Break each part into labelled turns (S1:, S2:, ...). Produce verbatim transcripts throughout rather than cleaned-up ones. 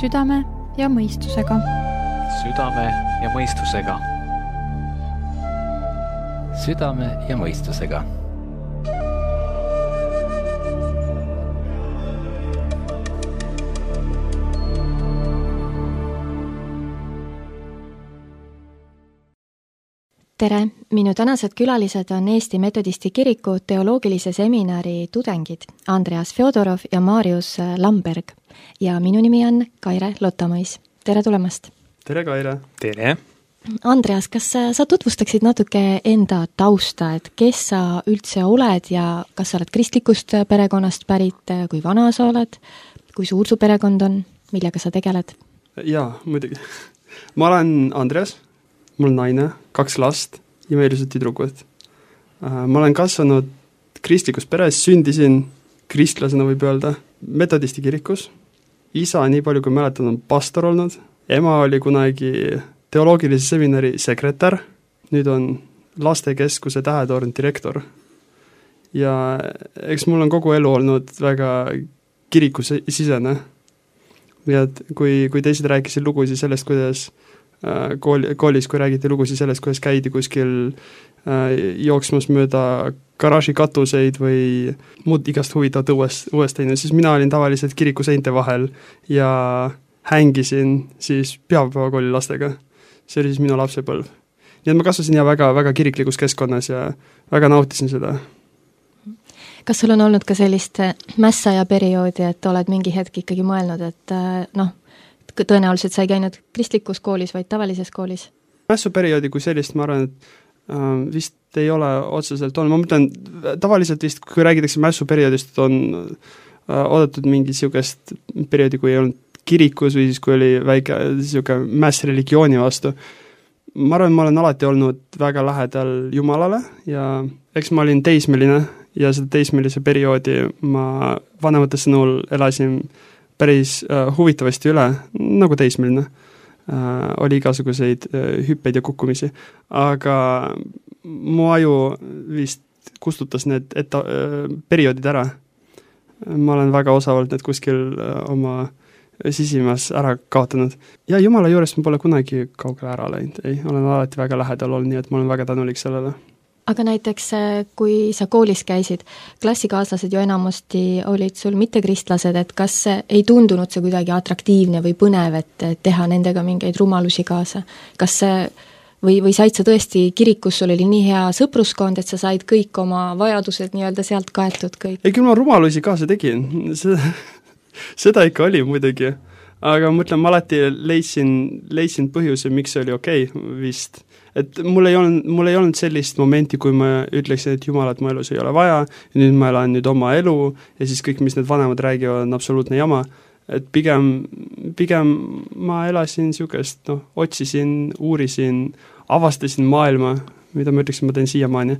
S1: südame ja mõistusega.
S2: Südame ja mõistusega.
S3: Südame ja mõistusega.
S4: Tere, minu tänased külalised on Eesti Metodisti Kiriku teoloogilise seminari tudengid Andreas Fjodorov ja Marius Lamberg ja minu nimi on Kaire Lotamõis. Tere tulemast!
S5: Tere, Kaire!
S2: Tere!
S4: Andreas, kas sa tutvustaksid natuke enda tausta, et kes sa üldse oled ja kas sa oled kristlikust perekonnast pärit, kui vana sa oled, kui suur su perekond on, millega sa tegeled?
S5: Jaa, muidugi. Ma olen Andreas. Mul on naine, kaks last, imelised tüdrukud. Ma olen kasvanud kristlikus peres, sündisin kristlasena võib öelda, Metodisti kirikus. Isa, nii palju kui mäletan, on pastor olnud. Ema oli kunagi teoloogilise seminari sekretär, nüüd on lastekeskuse Tähetorn direktor. Ja eks mul on kogu elu olnud väga kirikusisene. Ja kui, kui teised rääkisid lugusid sellest, kuidas Kooli, koolis, kui räägiti lugusid sellest, kuidas käidi kuskil äh, jooksmas mööda garaaži katuseid või muud igast huvitavat uuest, uuest teine, siis mina olin tavaliselt kiriku seinte vahel ja hängisin siis pühapäevakooli lastega. See oli siis minu lapsepõlv. Nii et ma kasvasin ja väga, väga kiriklikus keskkonnas ja väga nautisin seda.
S4: Kas sul on olnud ka sellist mässaja perioodi, et oled mingi hetk ikkagi mõelnud, et noh, tõenäoliselt sa ei käinud kristlikus koolis, vaid tavalises koolis?
S5: Mässuperioodi kui sellist, ma arvan, et äh, vist ei ole otseselt olnud. Ma mõtlen, tavaliselt vist, kui räägitakse mässuperioodist, on äh, oodatud mingi niisugust perioodi, kui ei olnud kirikus või siis kui oli väike niisugune mäss religiooni vastu. Ma arvan, ma olen alati olnud väga lähedal Jumalale ja eks ma olin teismeline ja seda teismelise perioodi ma vanemate sõnul elasin päris äh, huvitavasti üle, nagu teismeline. Äh, oli igasuguseid äh, hüppeid ja kukkumisi, aga mu aju vist kustutas need etta, äh, perioodid ära. Ma olen väga osavalt need kuskil äh, oma sisimas ära kaotanud. Ja Jumala juures ma pole kunagi kaugele ära läinud, ei, olen alati väga lähedal olnud, nii et ma olen väga tänulik sellele.
S4: Aga näiteks, kui sa koolis käisid, klassikaaslased ju enamusti olid sul mitte kristlased, et kas ei tundunud see kuidagi atraktiivne või põnev, et teha nendega mingeid rumalusi kaasa? Kas see, või, või said sa tõesti kirikus, sul oli nii hea sõpruskond, et sa said kõik oma vajadused nii-öelda sealt kaetud kõik?
S5: Ei, küll ma rumalusi kaasa tegin. Seda, seda ikka oli muidugi. Aga mõtlen, ma alati leidsin, leidsin põhjuse, miks see oli okei okay, vist. Et mul ei olnud, mul ei olnud sellist momenti, kui ma ütleksin, et Jumalat mu elus ei ole vaja, ja nüüd ma elan nüüd oma elu, ja siis kõik, mis need vanemad räägivad, on absoluutne jama. Et pigem, pigem ma elasin niisugust, noh, otsisin, uurisin, avastasin maailma, mida ma ütleksin, ma teen siiamaani,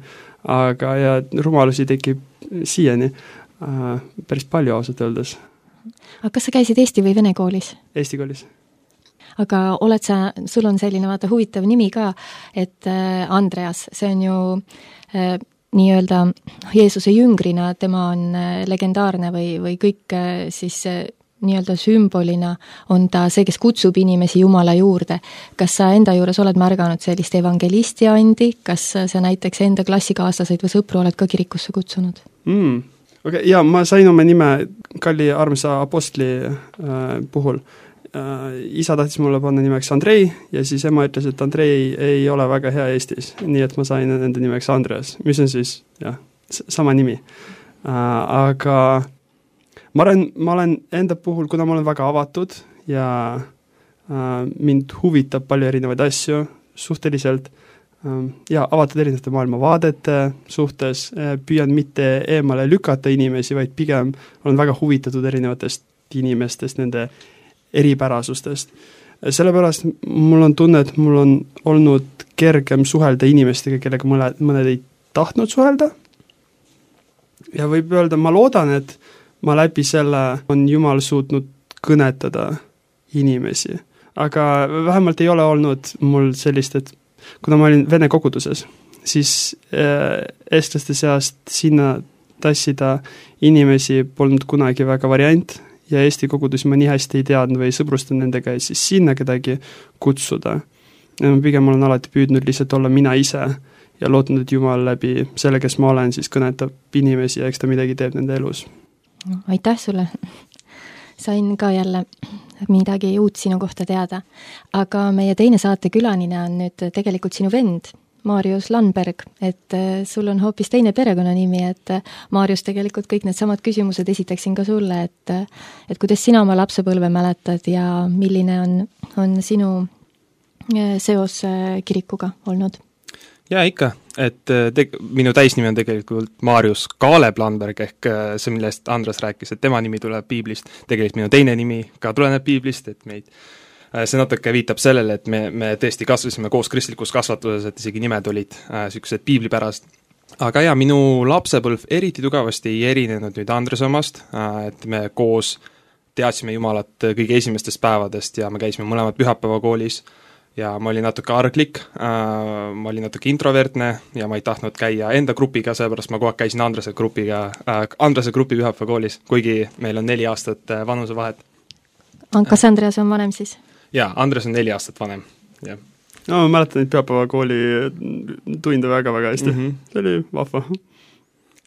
S5: aga ja rumalusi tekib siiani äh, päris palju ausalt öeldes.
S4: Aga kas sa käisid Eesti või Vene koolis?
S5: Eesti koolis.
S4: Aga oled sa, sul on selline vaata huvitav nimi ka, et Andreas, see on ju äh, nii-öelda Jeesuse jüngrina, tema on legendaarne või, või kõik äh, siis äh, nii-öelda sümbolina on ta see, kes kutsub inimesi Jumala juurde. Kas sa enda juures oled märganud sellist evangelisti andi, kas sa näiteks enda klassikaaslaseid või sõpru oled ka kirikusse kutsunud?
S5: Mm, okay, ja ma sain oma nime Kalli armsa apostli äh, puhul. Isa tahtis mulle panna nimeks Andrei ja siis ema ütles, et Andrei ei ole väga hea Eestis, nii et ma sain enda nimeks Andreas, mis on siis jah, sama nimi. Aga ma olen, ma olen enda puhul, kuna ma olen väga avatud ja mind huvitab palju erinevaid asju suhteliselt ja avatud erinevate maailmavaadete suhtes, püüan mitte eemale lükata inimesi, vaid pigem olen väga huvitatud erinevatest inimestest, nende eripärasustest. Sellepärast mul on tunne, et mul on olnud kergem suhelda inimestega, kellega mõned, mõned ei tahtnud suhelda. Ja võib öelda, ma loodan, et ma läbi selle on Jumal suutnud kõnetada inimesi. Aga vähemalt ei ole olnud mul sellist, et kuna ma olin Vene koguduses, siis äh, eestlaste seast sinna tassida inimesi polnud kunagi väga variant ja Eesti kogudusi ma nii hästi ei teadnud või sõbrustan nendega ja siis sinna kedagi kutsuda. Ja ma pigem olen alati püüdnud lihtsalt olla mina ise ja lootnud, et Jumal läbi selle, kes ma olen, siis kõnetab inimesi ja eks ta midagi teeb nende elus.
S4: Aitäh sulle! Sain ka jälle midagi uut sinu kohta teada. Aga meie teine saate külanine on nüüd tegelikult sinu vend, Marius Landberg, et sul on hoopis teine perekonnanimi, et Marius tegelikult kõik need samad küsimused esitaksin ka sulle, et, et kuidas sina oma lapsepõlve mäletad ja milline on, on sinu seos kirikuga olnud?
S6: Jaa, ikka, et te, minu täisnimi on tegelikult Marius Kaaleb Landberg ehk see, millest Andres rääkis, et tema nimi tuleb Piiblist, tegelikult minu teine nimi ka tuleneb Piiblist, et meid see natuke viitab sellele, et me, me tõesti kasvasime koos kristlikus kasvatuses, et isegi nimed olid äh, sellised piiblipärast. Aga jaa, minu lapsepõlv eriti tugevasti ei erinenud nüüd Andres omast, äh, et me koos teadsime Jumalat kõige esimestest päevadest ja me käisime mõlemad pühapäevakoolis ja ma olin natuke arglik, äh, ma olin natuke introvertne ja ma ei tahtnud käia enda grupiga, seepärast ma kogu aeg käisin Andrese grupiga, äh, Andrese grupi pühapäevakoolis, kuigi meil on neli aastat äh, vanusevahet.
S4: Kas Andreas on vanem siis?
S6: Jaa, Andres on neli aastat vanem, jah.
S5: No ma mäletan neid pühapäevakooli tunde väga-väga hästi, mm -hmm. see oli vahva.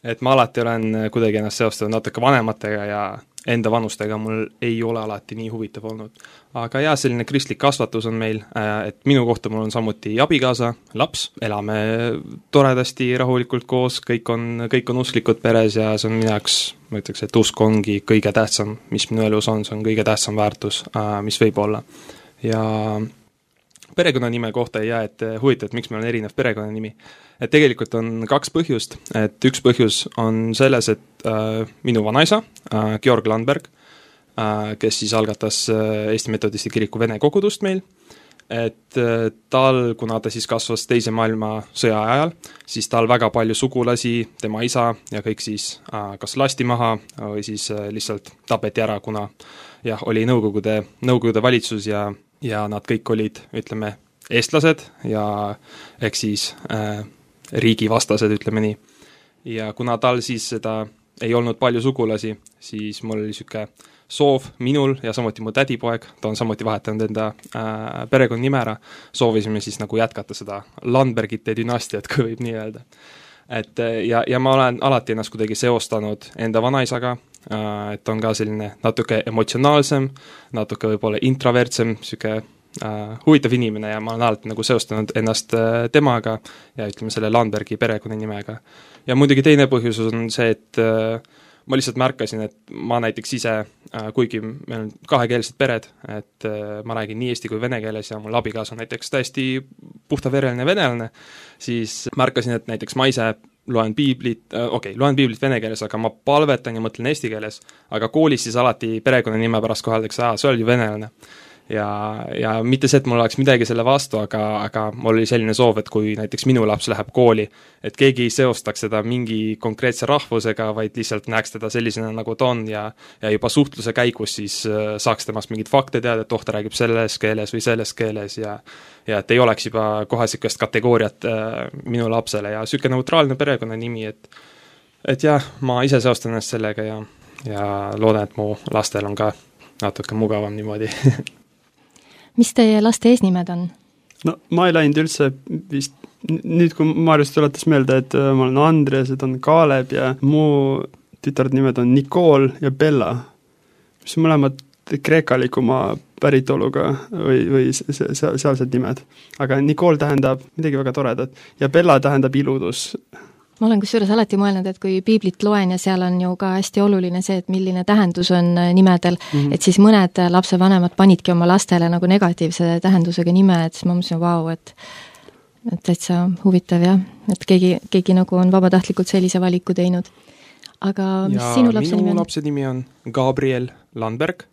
S6: Et ma alati olen kuidagi ennast seostanud natuke vanematega ja enda vanustega mul ei ole alati nii huvitav olnud. Aga jaa, selline kristlik kasvatus on meil, et minu kohta mul on samuti abikaasa, laps, elame toredasti, rahulikult koos, kõik on, kõik on usklikud peres ja see on minu jaoks, ma ütleks, et usk ongi kõige tähtsam, mis minu elus on, see on kõige tähtsam väärtus, mis võib olla. Ja perekonnanime kohta ei jää, et huvitav, et miks meil on erinev perekonnanimi. Et tegelikult on kaks põhjust, et üks põhjus on selles, et äh, minu vanaisa, äh, Georg Landberg, äh, kes siis algatas äh, Eesti Metodisti kiriku vene kogudust meil, et äh, tal, kuna ta siis kasvas teise maailma sõja ajal, siis tal väga palju sugulasi, tema isa ja kõik siis äh, kas lasti maha või siis äh, lihtsalt tapeti ära, kuna jah, oli Nõukogude, Nõukogude valitsus ja, ja nad kõik olid, ütleme, eestlased ja eks siis äh, riigivastased, ütleme nii. Ja kuna tal siis seda ei olnud palju sugulasi, siis mul oli siuke soov minul ja samuti mu tädipoeg, ta on samuti vahetanud enda äh, perekonna nime ära, soovisime siis nagu jätkata seda Landbergite dünastiat, kui võib nii öelda. Et ja, ja ma olen alati ennast kuidagi seostanud enda vanaisaga, äh, et on ka selline natuke emotsionaalsem, natuke võib-olla introvertsem, siuke Uh, huvitav inimene ja ma olen alati nagu seostanud ennast uh, temaga ja ütleme selle Landbergi perekonnanimega. Ja muidugi teine põhjus on see, et uh, ma lihtsalt märkasin, et ma näiteks ise, uh, kuigi meil on kahekeelsed pered, et uh, ma räägin nii eesti kui vene keeles ja mul abikaas on näiteks täiesti puhtavereline venelane, siis märkasin, et näiteks ma ise loen piiblit, uh, okei, okay, loen piiblit vene keeles, aga ma palvetan ja mõtlen eesti keeles, aga koolis siis alati perekonnanime pärast koheldakse, aa, see oli venelane. Ja, ja mitte see, et mul oleks midagi selle vastu, aga, aga mul oli selline soov, et kui näiteks minu laps läheb kooli, et keegi ei seostaks seda mingi konkreetse rahvusega, vaid lihtsalt näeks teda sellisena, nagu ta on ja, ja juba suhtluse käigus siis saaks temast mingid fakte teada, et oh, ta räägib selles keeles või selles keeles ja, ja et ei oleks juba kohe sükest kategooriat äh, minu lapsele ja süke neutraalne perekonnanimi, et, et jah, ma ise seostan ennast sellega ja, ja loodan, et mu lastel on ka natuke mugavam niimoodi.
S4: Mis teie laste eesnimed on?
S5: No ma ei läinud üldse vist, nüüd kui Marius tuletas meelde, et ma olen Andres, et on Kaaleb ja mu tütard nimed on Nicole ja Bella, mis on mõlemad kreekalikuma päritoluga või, või sealsed nimed. Aga Nicole tähendab midagi väga toredat ja Bella tähendab iludus.
S4: Ma olen kusjuures alati mõelnud, et kui piiblit loen ja seal on ju ka hästi oluline see, et milline tähendus on nimedel, mm-hmm. et siis mõned lapsevanemad panidki oma lastele nagu negatiivse tähendusega nime, et siis ma mõtlesin, vau, et et täitsa huvitav jah, et keegi, keegi nagu on vabatahtlikult sellise valiku teinud. Aga mis ja sinu lapse nimi on?
S6: Minu lapse nimi on Gabriel Landberg,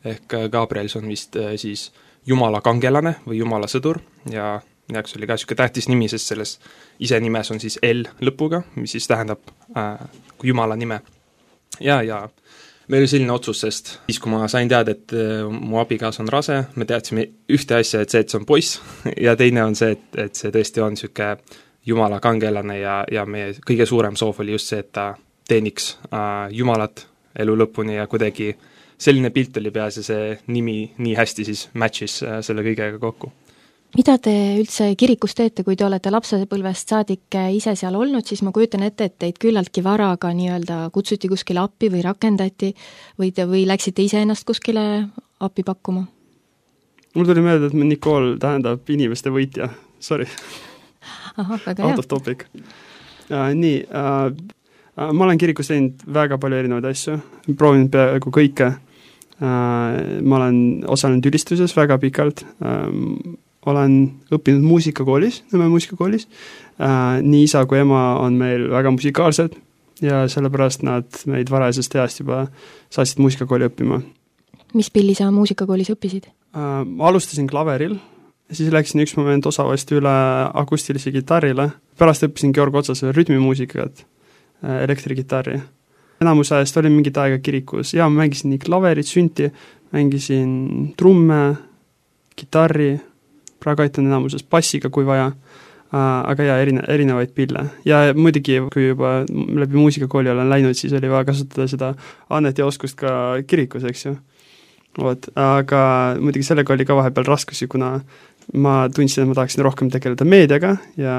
S6: ehk Gabriel on vist siis Jumala kangelane või Jumala sõdur ja jaoks oli ka siuke tähtis nimi, sest selles ise nimes on siis L lõpuga, mis siis tähendab äh, Jumala nime. Ja, ja meil oli selline otsus, sest siis kui ma sain teada, et äh, mu abikaas on rase, me teadsime ühte asja, et see, et see on poiss ja teine on see, et, et see tõesti on siuke Jumala kangelane ja, ja meie kõige suurem soov oli just see, et ta teeniks äh, Jumalat elu lõpuni ja kuidagi selline pilt oli peas ja see nimi nii hästi siis match'is selle kõigega kokku.
S4: Mida te üldse kirikus teete, kui te olete lapsepõlvest saadik ise seal olnud, siis ma kujutan ette, et teid küllaltki varaga nii-öelda kutsuti kuskile appi või rakendati või te või läksite ise ennast kuskile appi pakkuma?
S5: Mul tuli meelde, et Nicole tähendab inimeste võitja, sorry.
S4: Aha, väga
S5: hea. Out
S4: hea.
S5: of topic. Uh, nii, uh, uh, ma olen kirikus teinud väga palju erinevaid asju, proovinud peaaegu kõike. Uh, ma olen osalenud ülistuses väga pikalt, uh, olen õppinud muusikakoolis, Nõmme muusikakoolis. Uh, nii isa kui ema on meil väga musikaalsed ja sellepärast nad meid varajasest east juba saatsid muusikakooli õppima.
S4: Mis pilli sa muusikakoolis õppisid?
S5: Uh, ma alustasin klaveril, siis läksin üks moment osavasti üle akustilise kitarrile, pärast õppisin Georg Otsase rütmimuusikat, uh, elektrikitarri. Enamus ajast olin mingit aega kirikus ja ma mängisin nii klaverit, sünti, mängisin trumme, kitarri, praegu aitan enamuses bassiga, kui vaja, uh, aga jaa, erine, erinevaid pille. Ja muidugi, kui juba läbi muusikakooli olen läinud, siis oli vaja kasutada seda annet ja oskust ka kirikus, eks ju. Oot, aga muidugi sellega oli ka vahepeal raskusi, kuna ma tundsin, et ma tahaksin rohkem tegeleda meediaga ja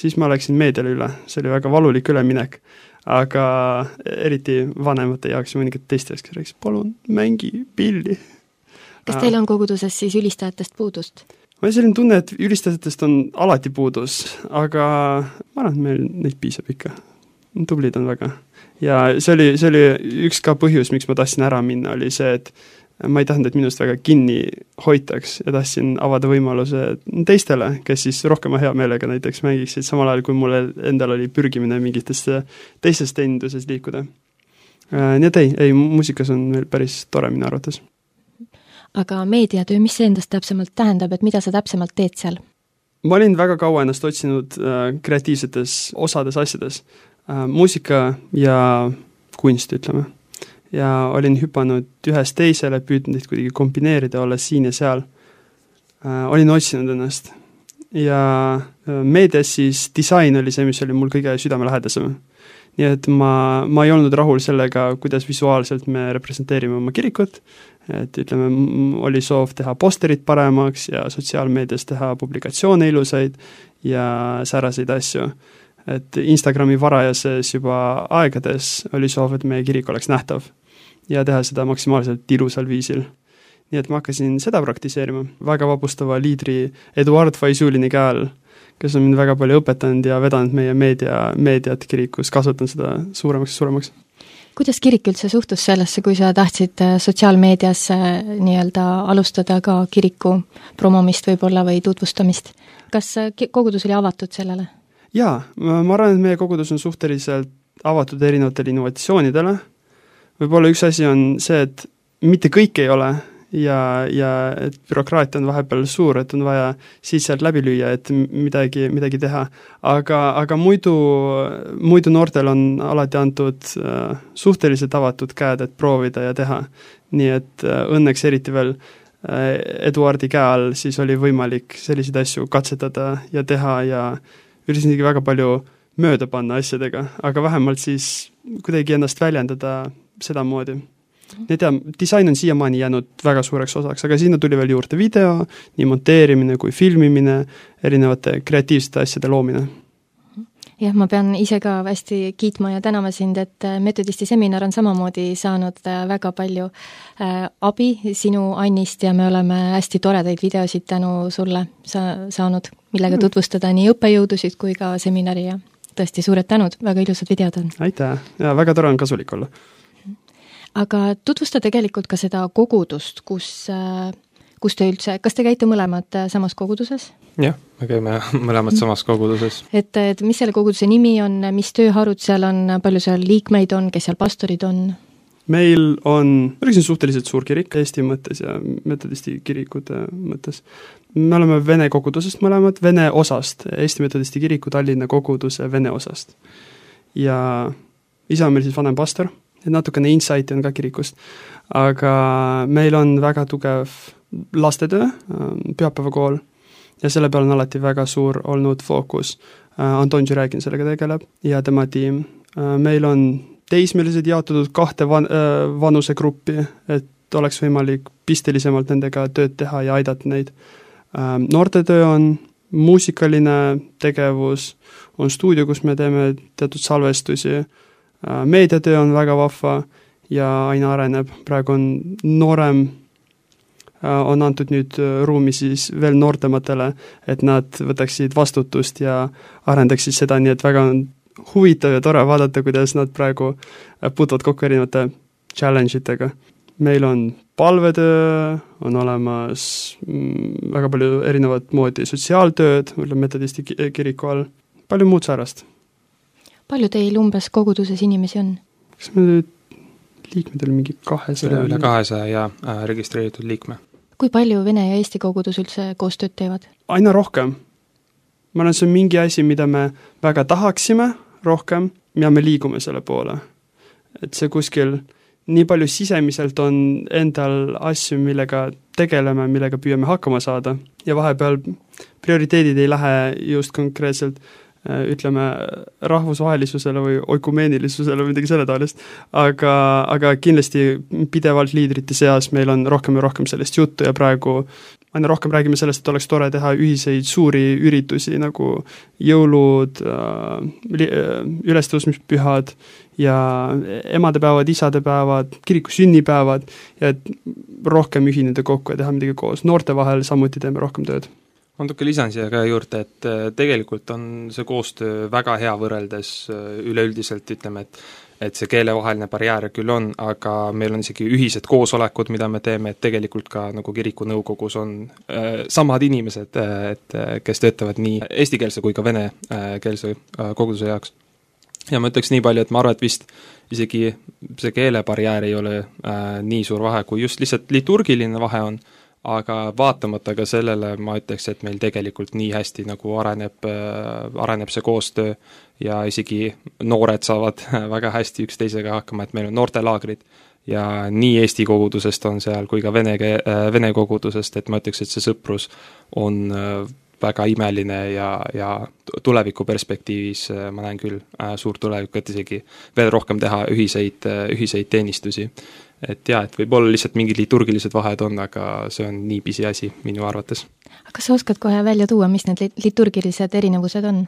S5: siis ma läksin meediale üle. See oli väga valulik üleminek, aga eriti vanemate jaoks ja mõningad teiste jaoks, kes rääkis, palun mängi pilli.
S4: Kas teil on koguduses siis ülistajatest puudust?
S5: Ma olen selline tunne, et ülistajatest on alati puudus, aga ma arvan, et meil neid piisab ikka. Tublid on väga. Ja see oli, see oli üks ka põhjus, miks ma tahtsin ära minna, oli see, et ma ei tahtnud, et minust väga kinni hoitaks ja tahtsin avada võimaluse teistele, kes siis rohkem hea meelega näiteks mängiksid, samal ajal kui mulle endal oli pürgimine mingitesse teistes teeninduses liikuda. Nii et ei, ei, muusikas on meil päris tore minu arvates.
S4: Aga meediatöö, mis see endast täpsemalt tähendab, et mida sa täpsemalt teed seal?
S5: Ma olin väga kaua ennast otsinud äh, kreatiivsetes osades asjades. Äh, muusika ja kunst, ütleme. Ja olin hüpanud ühest teisele, püüdnud neid kuidagi kombineerida, olla siin ja seal. Äh, olin otsinud ennast. Ja äh, meedias siis disain oli see, mis oli mul kõige südamelähedasem. Nii et ma, ma ei olnud rahul sellega, kuidas visuaalselt me representeerime oma kirikut, et ütleme, oli soov teha posterid paremaks ja sotsiaalmeedias teha publikatsioone ilusaid ja säraseid asju. Et Instagrami varajases juba aegades oli soov, et meie kirik oleks nähtav ja teha seda maksimaalselt ilusal viisil. Nii et ma hakkasin seda praktiseerima väga vapustava liidri Eduard Faisulini käel, kes on mind väga palju õpetanud ja vedanud meie meedia, meediat kirikus, kasutan seda suuremaks ja suuremaks.
S4: Kuidas kirik üldse suhtus sellesse, kui sa tahtsid sotsiaalmeedias nii-öelda alustada ka kiriku promomist võib-olla või tutvustamist? Kas kogudus oli avatud sellele?
S5: Jaa, ma arvan, et meie kogudus on suhteliselt avatud erinevatele innovatsioonidele. Võib-olla üks asi on see, et mitte kõik ei ole ja, ja et bürokraatia on vahepeal suur, et on vaja siis sealt läbi lüüa, et midagi, midagi teha. Aga, aga muidu, muidu noortel on alati antud äh, suhteliselt avatud käed, et proovida ja teha. Nii et äh, õnneks eriti veel äh, Eduardi käe all siis oli võimalik selliseid asju katsetada ja teha ja üritasingi väga palju mööda panna asjadega, aga vähemalt siis kuidagi ennast väljendada sedamoodi. Nii tea, disain on siiamaani jäänud väga suureks osaks, aga sinna tuli veel juurde video, nii monteerimine kui filmimine, erinevate kreatiivsete asjade loomine.
S4: Jah, ma pean ise ka hästi kiitma ja tänama sind, et metodisti seminar on samamoodi saanud väga palju äh, abi sinu Annist ja me oleme hästi toredaid videosid tänu sulle sa- saanud, millega mm. tutvustada nii õppejõudusid kui ka seminari ja tõesti suured tänud, väga ilusad videod on.
S5: Aitäh, ja väga tore on kasulik olla.
S4: Aga tutvusta tegelikult ka seda kogudust, kus, kus te üldse, kas te käite mõlemad samas koguduses?
S6: Jah, me käime mõlemad samas koguduses.
S4: Et, et mis selle koguduse nimi on, mis tööharud seal on, palju seal liikmeid on, kes seal pastorid on?
S5: Meil on, oleksin suhteliselt suur kirik Eesti mõttes ja metodisti kirikute mõttes. Me oleme Vene kogudusest mõlemad, Vene osast, Eesti metodisti kiriku Tallinna koguduse Vene osast. Ja isa on meil siis vanem pastor, et natukene insighti on ka kirikust, aga meil on väga tugev lastetöö, pühapäevakool, ja selle peal on alati väga suur olnud fookus. Anton Žüregin sellega tegeleb ja tema tiim. Meil on teismelised jaotatud kahte van-, vanusegruppi, et oleks võimalik pistelisemalt nendega tööd teha ja aidata neid. Noortetöö on muusikaline tegevus, on stuudio, kus me teeme teatud salvestusi, meediatöö on väga vahva ja aina areneb. Praegu on noorem, on antud nüüd ruumi siis veel noortematele, et nad võtaksid vastutust ja arendaksid seda, nii et väga on huvitav ja tore vaadata, kuidas nad praegu puutuvad kokku erinevate challenge itega. Meil on palvetöö, on olemas väga palju erinevat moodi sotsiaaltööd, metodisti kiriku all, palju muud säärast.
S4: Palju teil umbes koguduses inimesi on?
S5: Kas me nüüd liikmed oli mingi kahesaja?
S6: Üle, üle kahesaja ja äh, registreeritud liikme.
S4: Kui palju Vene ja Eesti kogudus üldse koostööd teevad?
S5: Aina rohkem. Ma arvan, see on mingi asi, mida me väga tahaksime rohkem ja me liigume selle poole. Et see kuskil nii palju sisemiselt on endal asju, millega tegeleme, millega püüame hakkama saada ja vahepeal prioriteedid ei lähe just konkreetselt ütleme rahvusvahelisusele või oikumeenilisusele või midagi selle taolist, aga, aga kindlasti pidevalt liidrite seas meil on rohkem ja rohkem sellest juttu ja praegu aina rohkem räägime sellest, et oleks tore teha ühiseid suuri üritusi nagu jõulud, ülestõusmispühad ja emadepäevad, isadepäevad, kiriku sünnipäevad ja et rohkem ühineda kokku ja teha midagi koos. Noorte vahel samuti teeme rohkem tööd.
S6: Ma natuke lisan siia ka juurde, et tegelikult on see koostöö väga hea võrreldes üleüldiselt, ütleme, et et see keelevaheline barjäär küll on, aga meil on isegi ühised koosolekud, mida me teeme, et tegelikult ka nagu kiriku nõukogus on äh, samad inimesed, et kes töötavad nii eestikeelse kui ka venekeelse äh, koguduse jaoks. Ja ma ütleks nii palju, et ma arvan, et vist isegi see keelebarjäär ei ole äh, nii suur vahe, kui just lihtsalt liturgiline vahe on, aga vaatamata ka sellele ma ütleks, et meil tegelikult nii hästi nagu areneb, äh, areneb see koostöö ja isegi noored saavad väga hästi üksteisega hakkama, et meil on noortelaagrid ja nii Eesti kogudusest on seal kui ka vene, vene kogudusest, et ma ütleks, et see sõprus on väga imeline ja, ja tuleviku perspektiivis ma näen küll suurt tulevikku, et isegi veel rohkem teha ühiseid, ühiseid teenistusi. Et jah, et võib-olla lihtsalt mingid liturgilised vahed on, aga see on nii pisi asi minu arvates.
S4: Aga kas sa oskad kohe välja tuua, mis need liturgilised erinevused on?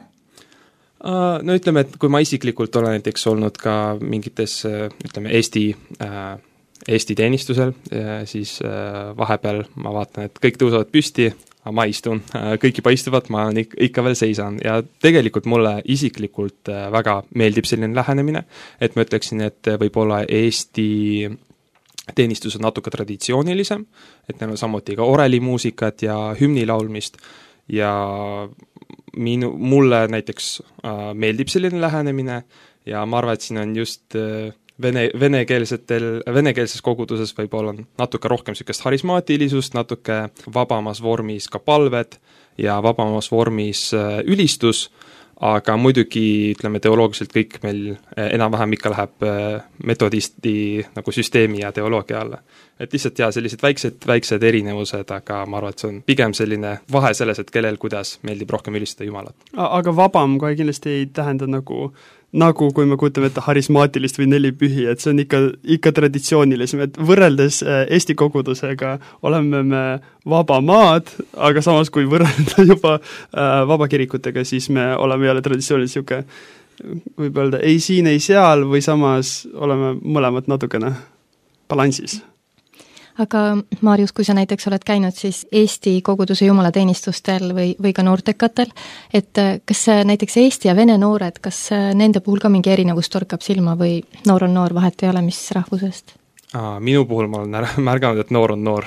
S6: No ütleme, et kui ma isiklikult olen näiteks olnud ka mingites, ütleme, Eesti, Eesti teenistusel, siis vahepeal ma vaatan, et kõik tõusevad püsti, aga ma istun, kõik juba istuvad, ma ikka veel seisan ja tegelikult mulle isiklikult väga meeldib selline lähenemine, et ma ütleksin, et võib-olla Eesti teenistus on natuke traditsioonilisem, et neil on samuti ka orelimuusikat ja hümni laulmist ja minu, mulle näiteks äh, meeldib selline lähenemine ja ma arvan, et siin on just äh, vene, venekeelsetel, venekeelses koguduses võib-olla natuke rohkem sellist harismaatilisust, natuke vabamas vormis ka palved ja vabamas vormis äh, ülistus, aga muidugi, ütleme, teoloogiliselt kõik meil enam-vähem ikka läheb metodisti nagu süsteemi ja teoloogia alla. Et lihtsalt jah, sellised väiksed, väiksed erinevused, aga ma arvan, et see on pigem selline vahe selles, et kellel kuidas meeldib rohkem ülistada Jumalat.
S5: Aga vabam kohe kindlasti ei tähenda nagu, nagu kui me kutame ette harismaatilist või nelipühi, et see on ikka, ikka traditsioonilisem, et võrreldes Eesti kogudusega oleme me vaba maad, aga samas kui võrrelda juba vabakirikutega, siis me oleme jälle traditsioonilis siuke, võib öelda ei siin, ei seal või samas oleme mõlemad natukene balansis.
S4: Aga Maarjus, kui sa näiteks oled käinud siis Eesti koguduse jumalateenistustel või, või ka noortekatel, et kas näiteks Eesti ja vene noored, kas nende puhul ka mingi erinevus torkab silma või noor on noor, vahet ei ole, mis rahvusest?
S6: Aa, minu puhul ma olen märganud, et noor on noor.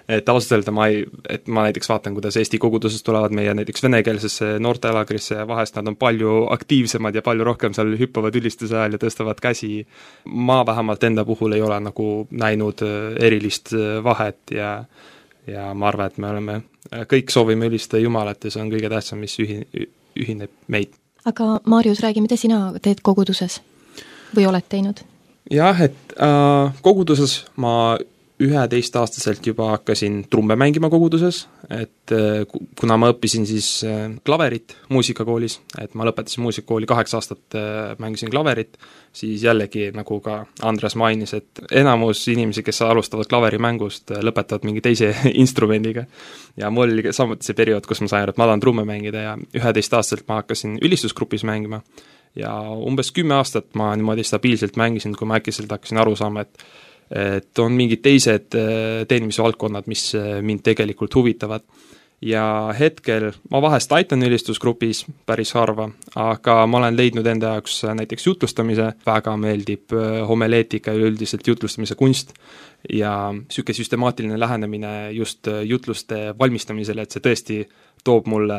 S6: et ausalt öelda ma ei, et ma näiteks vaatan, kuidas Eesti kogudusest tulevad meie näiteks venekeelsesse noortelaagrisse ja vahest nad on palju aktiivsemad ja palju rohkem seal hüppavad ülistuse ajal ja tõstavad käsi. Ma vähemalt enda puhul ei ole nagu näinud erilist vahet ja, ja ma arvan, et me oleme, kõik soovime ülistada Jumalat ja see on kõige tähtsam, mis ühi, ühineb meid.
S4: Aga Maarjus, räägi, mida sina teed koguduses või oled teinud?
S6: Jah, et äh, koguduses ma üheteistaastaselt juba hakkasin trumme mängima koguduses, et kuna ma õppisin siis klaverit muusikakoolis, et ma lõpetasin muusikakooli kaheksa aastat, mängisin klaverit, siis jällegi, nagu ka Andres mainis, et enamus inimesi, kes alustavad klaverimängust, lõpetavad mingi teise instrumendiga. Ja mul oli samuti see periood, kus ma sain, et ma tahan trumme mängida ja üheteistaastaselt ma hakkasin ülistusgrupis mängima. Ja umbes kümme aastat ma niimoodi stabiilselt mängisin, kui ma äkkiselt hakkasin aru saama, et et on mingid teised teenimisvaldkonnad, mis mind tegelikult huvitavad. Ja hetkel ma vahest aitan ülistusgrupis päris harva, aga ma olen leidnud enda jaoks näiteks jutlustamise, väga meeldib homeleetika ja üldiselt jutlustamise kunst ja süke süstemaatiline lähenemine just jutluste valmistamisele, et see tõesti toob mulle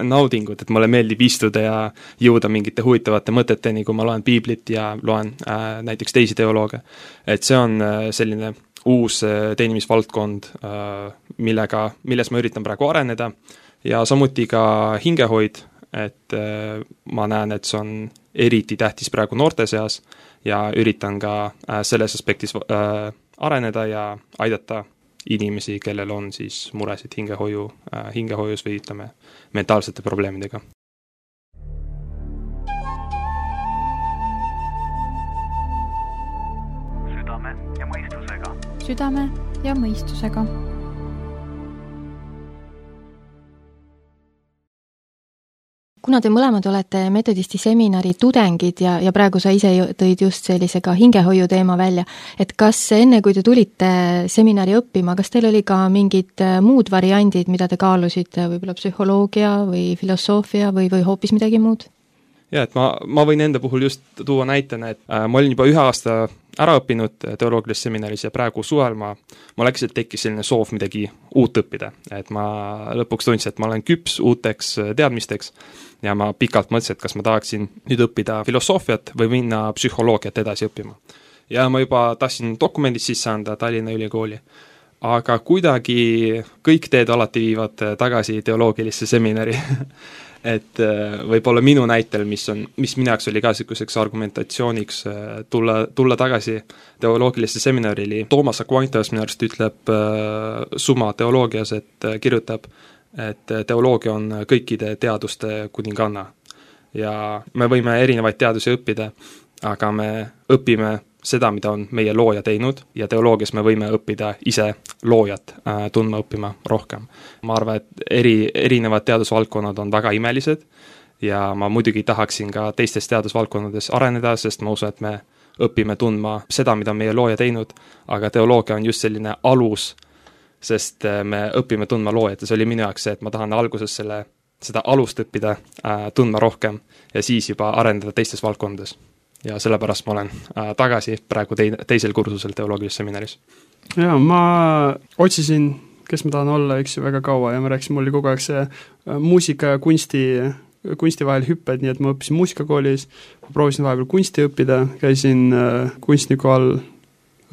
S6: naudingut, et mulle meeldib istuda ja jõuda mingite huvitavate mõteteni, kui ma loen piiblit ja loen äh, näiteks teisi teolooge. Et see on äh, selline uus äh, teenimisvaldkond, äh, millega, milles ma üritan praegu areneda ja samuti ka hingehoid, et äh, ma näen, et see on eriti tähtis praegu noorte seas ja üritan ka äh, selles aspektis äh, areneda ja aidata inimesi, kellel on siis muresid hingehoiu, äh, hingehoius või ütleme mentaalsete probleemidega.
S1: Südame ja mõistusega. Südame ja mõistusega.
S4: Kuna te mõlemad olete metodisti seminari tudengid ja, ja praegu sa ise tõid just sellise ka hingehoiu teema välja, et kas enne, kui te tulite seminari õppima, kas teil oli ka mingid muud variandid, mida te kaalusite, võib-olla psühholoogia või filosoofia või, või hoopis midagi muud?
S6: Ja, et ma, ma võin enda puhul just tuua näitena, et äh, ma olin juba ühe aasta ära õppinud teoloogilises seminaris ja praegu suvel ma, ma läkselt tekkis selline soov midagi uut õppida, et ma lõpuks tundsin, et ma olen küps uuteks teadmisteks ja ma pikalt mõtlesin, et kas ma tahaksin nüüd õppida filosoofiat või minna psühholoogiat edasi õppima. Ja ma juba tahtsin dokumendid sisse anda Tallinna Ülikooli, aga kuidagi kõik teed alati viivad tagasi teoloogilisse seminari et võib-olla minu näitel, mis on, mis minu jaoks oli ka selliseks argumentatsiooniks tulla, tulla tagasi teoloogilisse seminarili. Toomas Aquinas minu arust ütleb äh, summa teoloogias, et äh, kirjutab, et teoloogia on kõikide teaduste kuninganna. Ja me võime erinevaid teadusi õppida, aga me õpime seda, mida on meie looja teinud ja teoloogias me võime õppida ise loojat äh, tundma õppima rohkem. Ma arvan, et eri, erinevad teadusvaldkonnad on väga imelised ja ma muidugi tahaksin ka teistes teadusvaldkonnades areneda, sest ma usun, et me õpime tundma seda, mida on meie looja teinud, aga teoloogia on just selline alus, sest me õpime tundma loojat ja see oli minu jaoks see, et ma tahan alguses selle, seda alust õppida äh, tundma rohkem ja siis juba arendada teistes valdkondades. Ja sellepärast ma olen äh, tagasi praegu tei- teisel kursusel teoloogilises seminaris.
S5: Jaa, ma otsisin, kes ma tahan olla, eks ju, väga kaua ja ma rääkisin, mul oli kogu aeg see äh, muusika ja kunsti, kunsti vahel hüpped, nii et ma õppisin muusikakoolis, proovisin vahepeal kunsti õppida, käisin äh, kunstniku all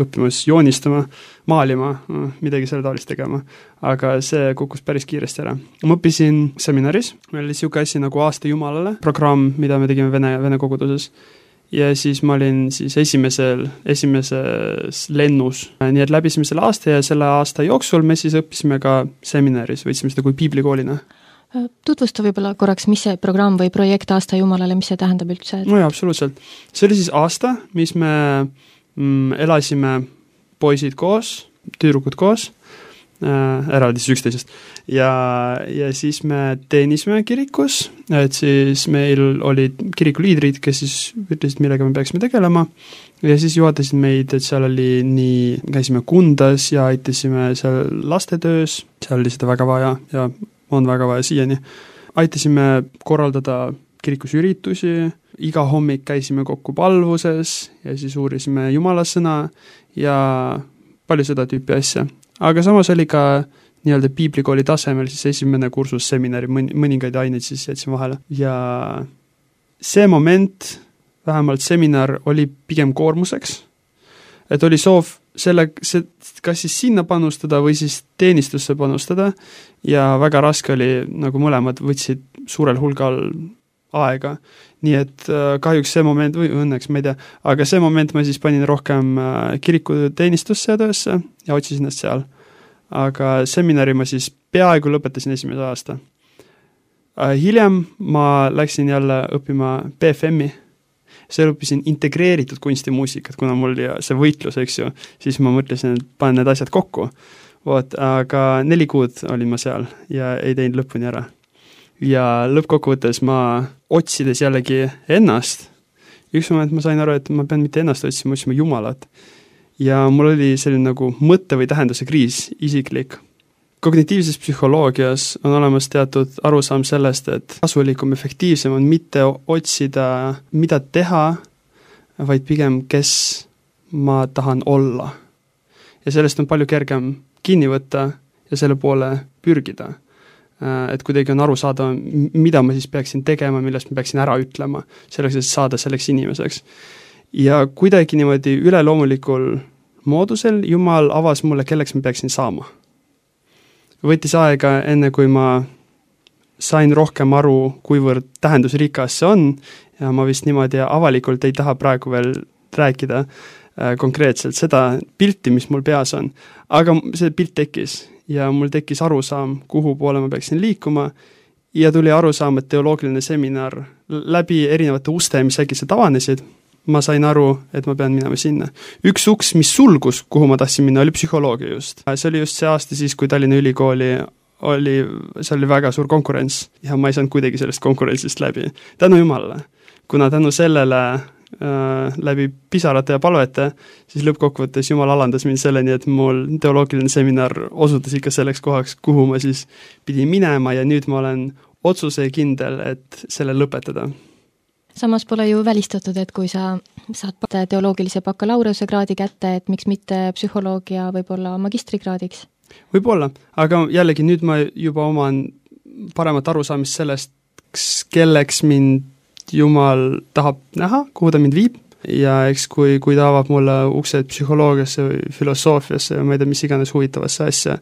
S5: õppimas joonistama, maalima, midagi selle taolist tegema, aga see kukkus päris kiiresti ära. Ma õppisin seminaris, meil oli siuke asi nagu Aasta Jumalale programm, mida me tegime Vene, Vene koguduses ja siis ma olin siis esimesel, esimeses lennus, nii et läbisime selle aasta ja selle aasta jooksul me siis õppisime ka seminaris, võtsime seda kui piiblikoolina.
S4: Tutvusta võib-olla korraks, mis see programm või projekt Aasta Jumalale, mis see tähendab üldse?
S5: No jaa, absoluutselt. See oli siis aasta, mis me mm, elasime poisid koos, tüdrukud koos, äh, eraldi siis üksteisest ja, ja siis me teenisime kirikus, et siis meil olid kirikuliidrid, kes siis ütlesid, millega me peaksime tegelema ja siis juhatasid meid, et seal oli nii, käisime Kundas ja aitasime seal lastetöös, seal oli seda väga vaja ja on väga vaja siiani. Aitasime korraldada kirikus üritusi, iga hommik käisime kokku palvuses ja siis uurisime Jumala sõna ja palju seda tüüpi asja. Aga samas oli ka nii-öelda piiblikooli tasemel siis esimene kursus seminari, mõningaid aineid siis jätsin vahele. Ja see moment, vähemalt seminar, oli pigem koormuseks, et oli soov selle, see, kas siis sinna panustada või siis teenistusse panustada ja väga raske oli, nagu mõlemad võtsid suurel hulgal aega. Nii et kahjuks see moment, või õnneks, ma ei tea, aga see moment ma siis panin rohkem kirikuteenistusse ja töösse ja otsisin ennast seal. Aga seminari ma siis peaaegu lõpetasin esimese aasta. Hiljem ma läksin jälle õppima B F M-i, see õppisin integreeritud kunstimuusikat, kuna mul ja see võitlus, eks ju, siis ma mõtlesin, et panen need asjad kokku. Voot, aga neli kuud olin ma seal ja ei teinud lõpuni ära. Ja lõppkokkuvõttes ma otsides jällegi ennast, üks moment ma sain aru, et ma pean mitte ennast otsima, ma otsima Jumalat. Ja mul oli selline nagu mõtte või tähenduse kriis, isiklik. Kognitiivses psühholoogias on olemas teatud arusaam sellest, et kasulikum, efektiivsem on mitte otsida, mida teha, vaid pigem, kes ma tahan olla. Ja sellest on palju kergem kinni võtta ja selle poole pürgida. Et kuidagi on aru saada, mida ma siis peaksin tegema, millest ma peaksin ära ütlema, selleks, et saada selleks inimeseks. Ja kuidagi niimoodi üleloomulikul moodusel Jumal avas mulle, kelleks ma peaksin saama. Võttis aega enne, kui ma sain rohkem aru, kuivõrd tähendusrikas see on, ja ma vist niimoodi avalikult ei taha praegu veel rääkida äh, konkreetselt seda pilti, mis mul peas on. Aga see pilt tekkis ja mul tekkis arusaam, kuhu poole ma peaksin liikuma ja tuli arusaam, et teoloogiline seminar läbi erinevate uste, mis äkki avanesid, ma sain aru, et ma pean minema sinna. Üks uks, mis sulgus, kuhu ma tahtsin minna, oli psühholoogia just. See oli just see aasta siis, kui Tallinna Ülikooli oli, see oli väga suur konkurents ja ma ei saanud kuidagi sellest konkurentsist läbi. Tänu Jumalale. Kuna tänu sellele äh, läbi pisarate ja palvete, siis lõppkokkuvõttes Jumal alandas mind selleni, et mul teoloogiline seminar osutas ikka selleks kohaks, kuhu ma siis pidin minema ja nüüd ma olen otsuse kindel, et selle lõpetada.
S4: Samas pole ju välistatud, et kui sa saad teoloogilise bakalaureuse kraadi kätte, et miks mitte psühholoogia võib-olla magistrikraadiks?
S5: Võib-olla, aga jällegi nüüd ma juba oman paremat arusaamist sellest, kelleks mind Jumal tahab näha, kuhu ta mind viib ja eks kui, kui ta avab mulle uksed psühholoogiasse või filosoofiasse ja ma ei tea, mis iganes huvitavasse asja,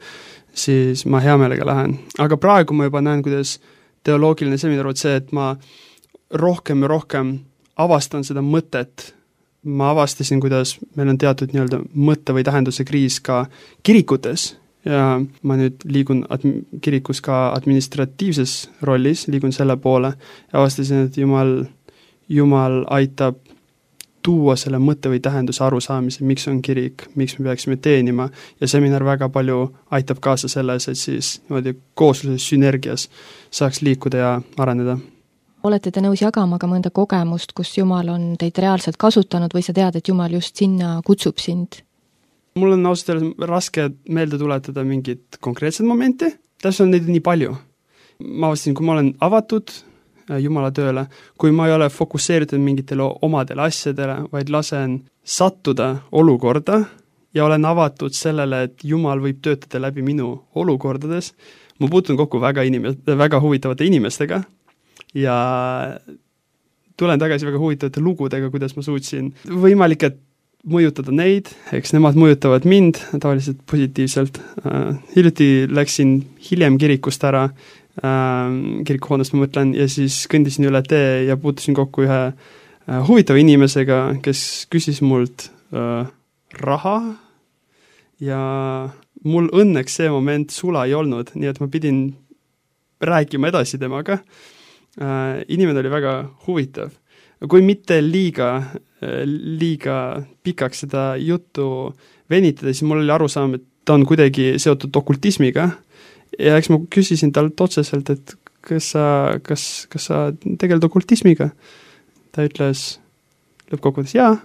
S5: siis ma hea meelega lähen. Aga praegu ma juba näen, kuidas teoloogiline seminar on see, et ma rohkem ja rohkem avastan seda mõtet. Ma avastasin, kuidas meil on teatud nii-öelda mõtte või tähenduse kriis ka kirikutes ja ma nüüd liigun admi- kirikus ka administratiivses rollis, liigun selle poole ja avastasin, et Jumal, Jumal aitab tuua selle mõtte või tähenduse arusaamise, miks on kirik, miks me peaksime teenima ja seminar väga palju aitab kaasa selles, et siis niimoodi koosluses sünergias saaks liikuda ja areneda.
S4: Olete te nõus jagama ka mõnda kogemust, kus Jumal on teid reaalselt kasutanud või sa tead, et Jumal just sinna kutsub sind?
S5: Mul on ausalt öeldes raske meelde tuletada mingit konkreetset momenti, täpselt on neid nii palju. Ma avastasin, kui ma olen avatud Jumala tööle, kui ma ei ole fokusseeritud mingitele omadele asjadele, vaid lasen sattuda olukorda ja olen avatud sellele, et Jumal võib töötada läbi minu olukordades. Ma puutun kokku väga, inimes- väga huvitavate inimestega, ja tulen tagasi väga huvitavate lugudega, kuidas ma suutsin võimalik, et mõjutada neid, eks nemad mõjutavad mind tavaliselt positiivselt. Uh, hiljuti läksin hiljem kirikust ära, uh, kirikuhoonest ma mõtlen, ja siis kõndisin üle tee ja puutusin kokku ühe uh, huvitava inimesega, kes küsis mult uh, raha ja mul õnneks see moment sula ei olnud, nii et ma pidin rääkima edasi temaga. Uh, inimene oli väga huvitav. Kui mitte liiga, liiga pikaks seda juttu venitada, siis mul oli arusaam, et ta on kuidagi seotud okultismiga ja eks ma küsisin talt otseselt, et kas sa, kas, kas sa tegeled okultismiga? Ta ütles lõppkokkuvõttes jaa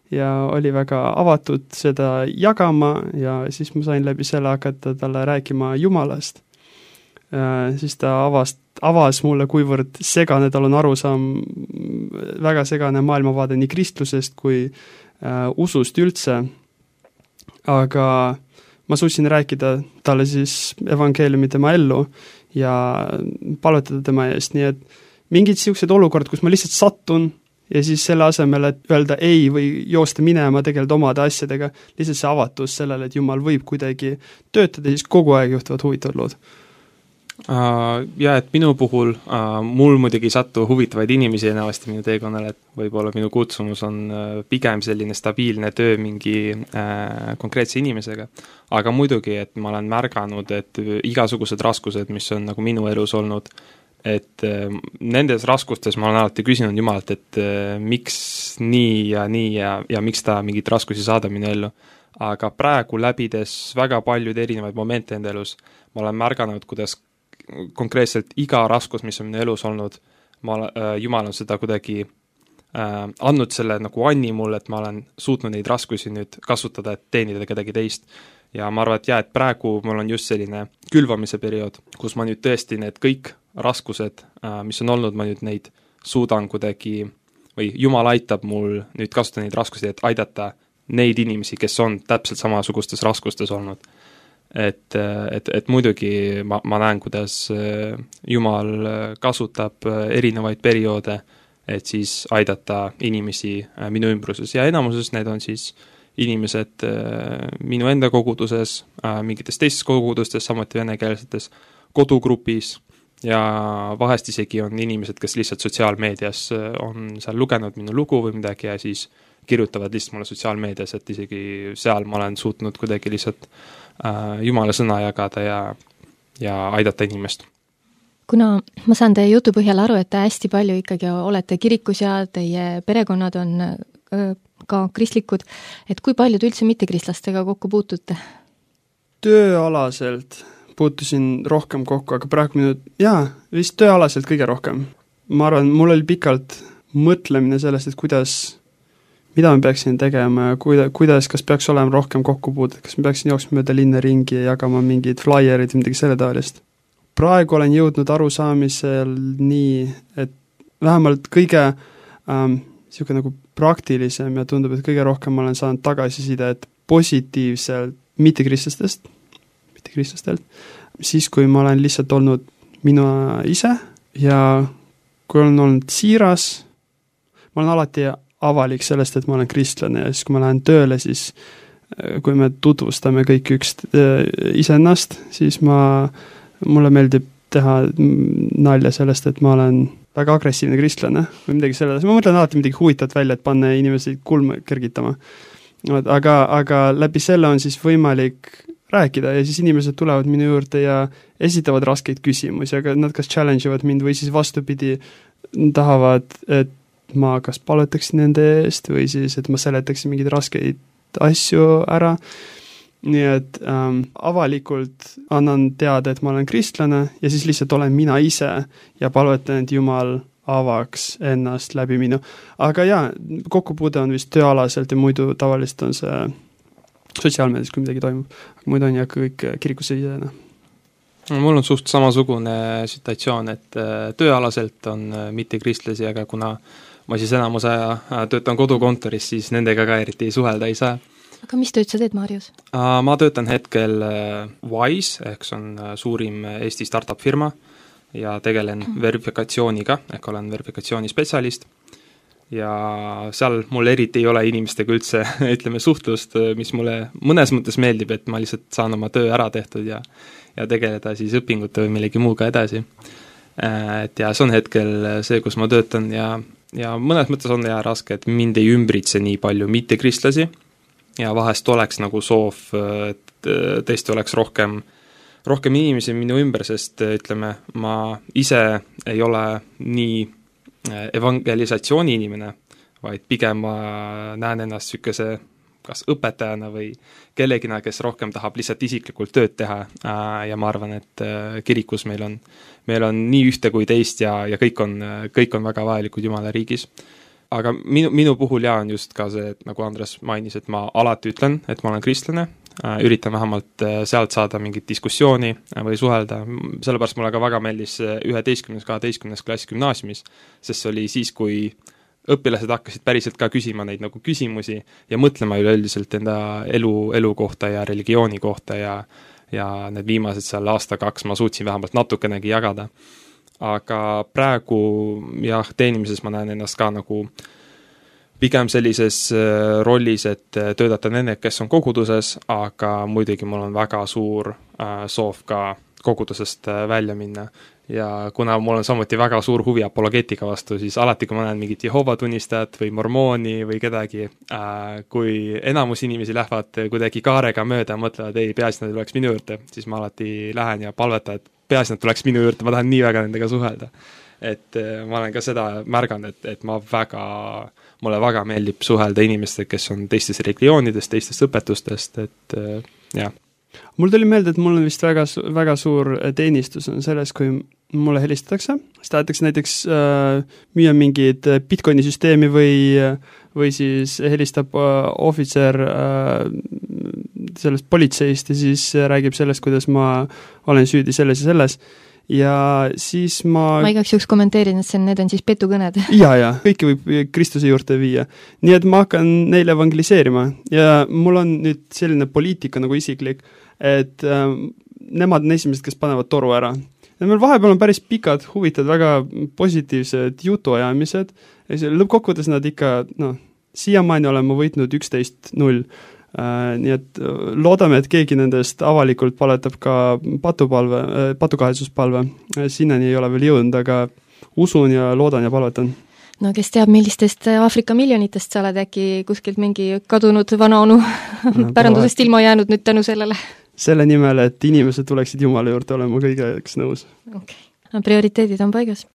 S5: ja oli väga avatud seda jagama ja siis ma sain läbi selle hakata talle rääkima Jumalast. Uh, siis ta avast, avas mulle, kuivõrd segane tal on arusaam, väga segane maailmavaade nii kristlusest kui uh, usust üldse, aga ma suutsin rääkida talle siis evangeeliumi tema ellu ja palvetada tema eest, nii et mingid siuksed olukord, kus ma lihtsalt sattun ja siis selle asemel, et öelda ei või joosta minema, tegeleda omade asjadega, lihtsalt see avatus sellele, et Jumal võib kuidagi töötada, siis kogu aeg juhtuvad huvitavad lood.
S6: Uh, ja et minu puhul uh, mul muidugi ei sattu huvitavaid inimesi enamasti minu teekonnal, et võib-olla minu kutsumus on uh, pigem selline stabiilne töö mingi uh, konkreetse inimesega. Aga muidugi, et ma olen märganud, et igasugused raskused, mis on nagu minu elus olnud, et uh, nendes raskustes ma olen alati küsinud Jumalalt, et uh, miks nii ja nii ja, ja miks ta mingit raskusi saada minu ellu. Aga praegu läbides väga paljud erinevaid momente enda elus, ma olen märganud, kuidas konkreetselt iga raskus, mis on minu elus olnud, ma, äh, Jumal on seda kuidagi äh, andnud selle nagu anni mulle, et ma olen suutnud neid raskusi nüüd kasutada, et teenida kedagi teist. Ja ma arvan, et jah, et praegu mul on just selline külvamise periood, kus ma nüüd tõesti need kõik raskused, äh, mis on olnud, ma nüüd neid suudan kuidagi, või Jumal aitab mul nüüd kasutada neid raskusi, et aidata neid inimesi, kes on täpselt samasugustes raskustes olnud. Et, et, et muidugi ma, ma näen, kuidas Jumal kasutab erinevaid perioode, et siis aidata inimesi minu ümbruses. Ja enamuses need on siis inimesed minu enda koguduses, mingites teistes kogudustes, samuti venekeelsetes kodugrupis ja vahest isegi on inimesed, kes lihtsalt sotsiaalmeedias on seal lugenud minu lugu või midagi ja siis kirjutavad lihtsalt mulle sotsiaalmeedias, et isegi seal ma olen suutnud kuidagi lihtsalt äh, Jumala sõna jagada ja, ja aidata inimest.
S4: Kuna ma saan teie jutu põhjal aru, et te hästi palju ikkagi olete kirikus ja teie perekonnad on öö, ka kristlikud, et kui paljud üldse mittekristlastega kokku puutute?
S5: Tööalaselt puutusin rohkem kokku, aga praegu minu, jaa, vist tööalaselt kõige rohkem. Ma arvan, mul oli pikalt mõtlemine sellest, et kuidas mida ma peaksin tegema ja kuida, kuidas, kas peaks olema rohkem kokkupuudet, kas ma peaksin jooksma mööda linna ringi ja jagama mingid flyerid või midagi selle taolist. Praegu olen jõudnud arusaamisel nii, et vähemalt kõige ähm, siuke nagu praktilisem ja tundub, et kõige rohkem ma olen saanud tagasisidet positiivselt mittekristlastest, mittekristlastelt, siis kui ma olen lihtsalt olnud minu ise ja kui olen olnud siiras, ma olen alati avalik sellest, et ma olen kristlane ja siis kui ma lähen tööle, siis kui me tutvustame kõik üks iseennast, siis ma, mulle meeldib teha nalja sellest, et ma olen väga agressiivne kristlane või midagi selles. Ma mõtlen alati midagi huvitavat välja, et panna inimesi kulme kergitama. Aga, aga läbi selle on siis võimalik rääkida ja siis inimesed tulevad minu juurde ja esitavad raskeid küsimusi, aga nad kas challenge ivad mind või siis vastupidi tahavad, et ma kas palvetaksin nende eest või siis, et ma seletaksin mingeid raskeid asju ära. Nii et ähm, avalikult annan teada, et ma olen kristlane ja siis lihtsalt olen mina ise ja palvetan, et Jumal avaks ennast läbi minu. Aga jaa, kokkupuude on vist tööalaselt ja muidu tavaliselt on see sotsiaalmeedias, kui midagi toimub. Aga muidu on ja kõik kirikusse isena.
S6: Mul on suht samasugune situatsioon, et tööalaselt on mitte kristlasi, aga kuna ma siis enamus aja töötan kodukontoris, siis nendega ka eriti ei suhelda ei saa.
S4: Aga mis tööd sa teed, Marius?
S6: Ma töötan hetkel Wise, ehk see on suurim Eesti startup firma ja tegelen verifikatsiooniga, ehk olen verifikatsiooni-spetsialist ja seal mul eriti ei ole inimestega üldse, ütleme, suhtlust, mis mulle mõnes mõttes meeldib, et ma lihtsalt saan oma töö ära tehtud ja, ja tegeleda siis õpingute või millegi muuga edasi. Et ja see on hetkel see, kus ma töötan ja ja mõnes mõttes on ja raske, et mind ei ümbritse nii palju mittekristlasi ja vahest oleks nagu soov, et tõesti oleks rohkem, rohkem inimesi minu ümber, sest ütleme, ma ise ei ole nii evangelisatsiooni inimene, vaid pigem ma näen ennast sükese kas õpetajana või kellegina, kes rohkem tahab lihtsalt isiklikult tööd teha ja ma arvan, et kirikus meil on, meil on nii ühte kui teist ja, ja kõik on, kõik on väga vajalikud Jumala riigis. Aga minu, minu puhul ja on just ka see, et nagu Andres mainis, et ma alati ütlen, et ma olen kristlane, üritan vähemalt sealt saada mingit diskussiooni või suhelda, sellepärast mulle ka väga meeldis üheteistkümnes, kaheteistkümnes klass gümnaasiumis, sest see oli siis, kui õpilased hakkasid päriselt ka küsima neid nagu küsimusi ja mõtlema üleüldiselt enda elu, elu kohta ja religiooni kohta ja, ja need viimased seal aasta kaks ma suutsin vähemalt natukenegi jagada. Aga praegu jah, teenimises ma näen ennast ka nagu pigem sellises rollis, et töötada nende, kes on koguduses, aga muidugi mul on väga suur äh, soov ka kogudusest välja minna. Ja kuna mul on samuti väga suur huvi apologeetika vastu, siis alati, kui ma näen mingit Jehova tunnistajat või mormooni või kedagi, äh, kui enamus inimesi lähevad kuidagi kaarega mööda ja mõtlevad, ei, peaasi nad tuleks minu juurde, siis ma alati lähen ja palvetan, et peaasi nad tuleks minu juurde, ma tahan nii väga nendega suhelda. Et äh, ma olen ka seda märganud, et, et ma väga, mulle väga meeldib suhelda inimestega, kes on teistest religioonidest, teistest õpetustest, et äh, jah.
S5: Mul tuli meelde, et mul on vist väga, väga suur teenistus on selles, kui mulle helistatakse, siis tahetakse näiteks äh, müüa mingid Bitcoini süsteemi või, või siis helistab äh, ohvitser äh, sellest politseist ja siis räägib sellest, kuidas ma olen süüdi selles ja selles. Ja siis ma...
S4: Ma igaks juhuks kommenteerin, et see, need on siis petukõned.
S5: ja, ja, kõiki võib Kristuse juurde viia. Nii et ma hakkan neile evangeliseerima ja mul on nüüd selline poliitika nagu isiklik, et äh, nemad on esimesed, kes panevad toru ära. Ja meil vahepeal on päris pikad, huvitavad, väga positiivsed jutuajamised, lõppkokkuvõttes nad ikka, noh, siiamaani olen ma võitnud üksteist null, äh, nii et loodame, et keegi nendest avalikult paletab ka patupalve, äh, patukahesuspalve, sinnani ei ole veel jõudnud, aga usun ja loodan ja palvetan.
S4: No kes teab, millistest Aafrika miljonitest sa oled äkki kuskilt mingi kadunud vanaonu pärandusest ilma jäänud nüüd tänu sellele?
S5: Selle nimel, et inimesed tuleksid Jumala juurde olema kõigeks nõus.
S4: Okay. No, prioriteedid on paigas.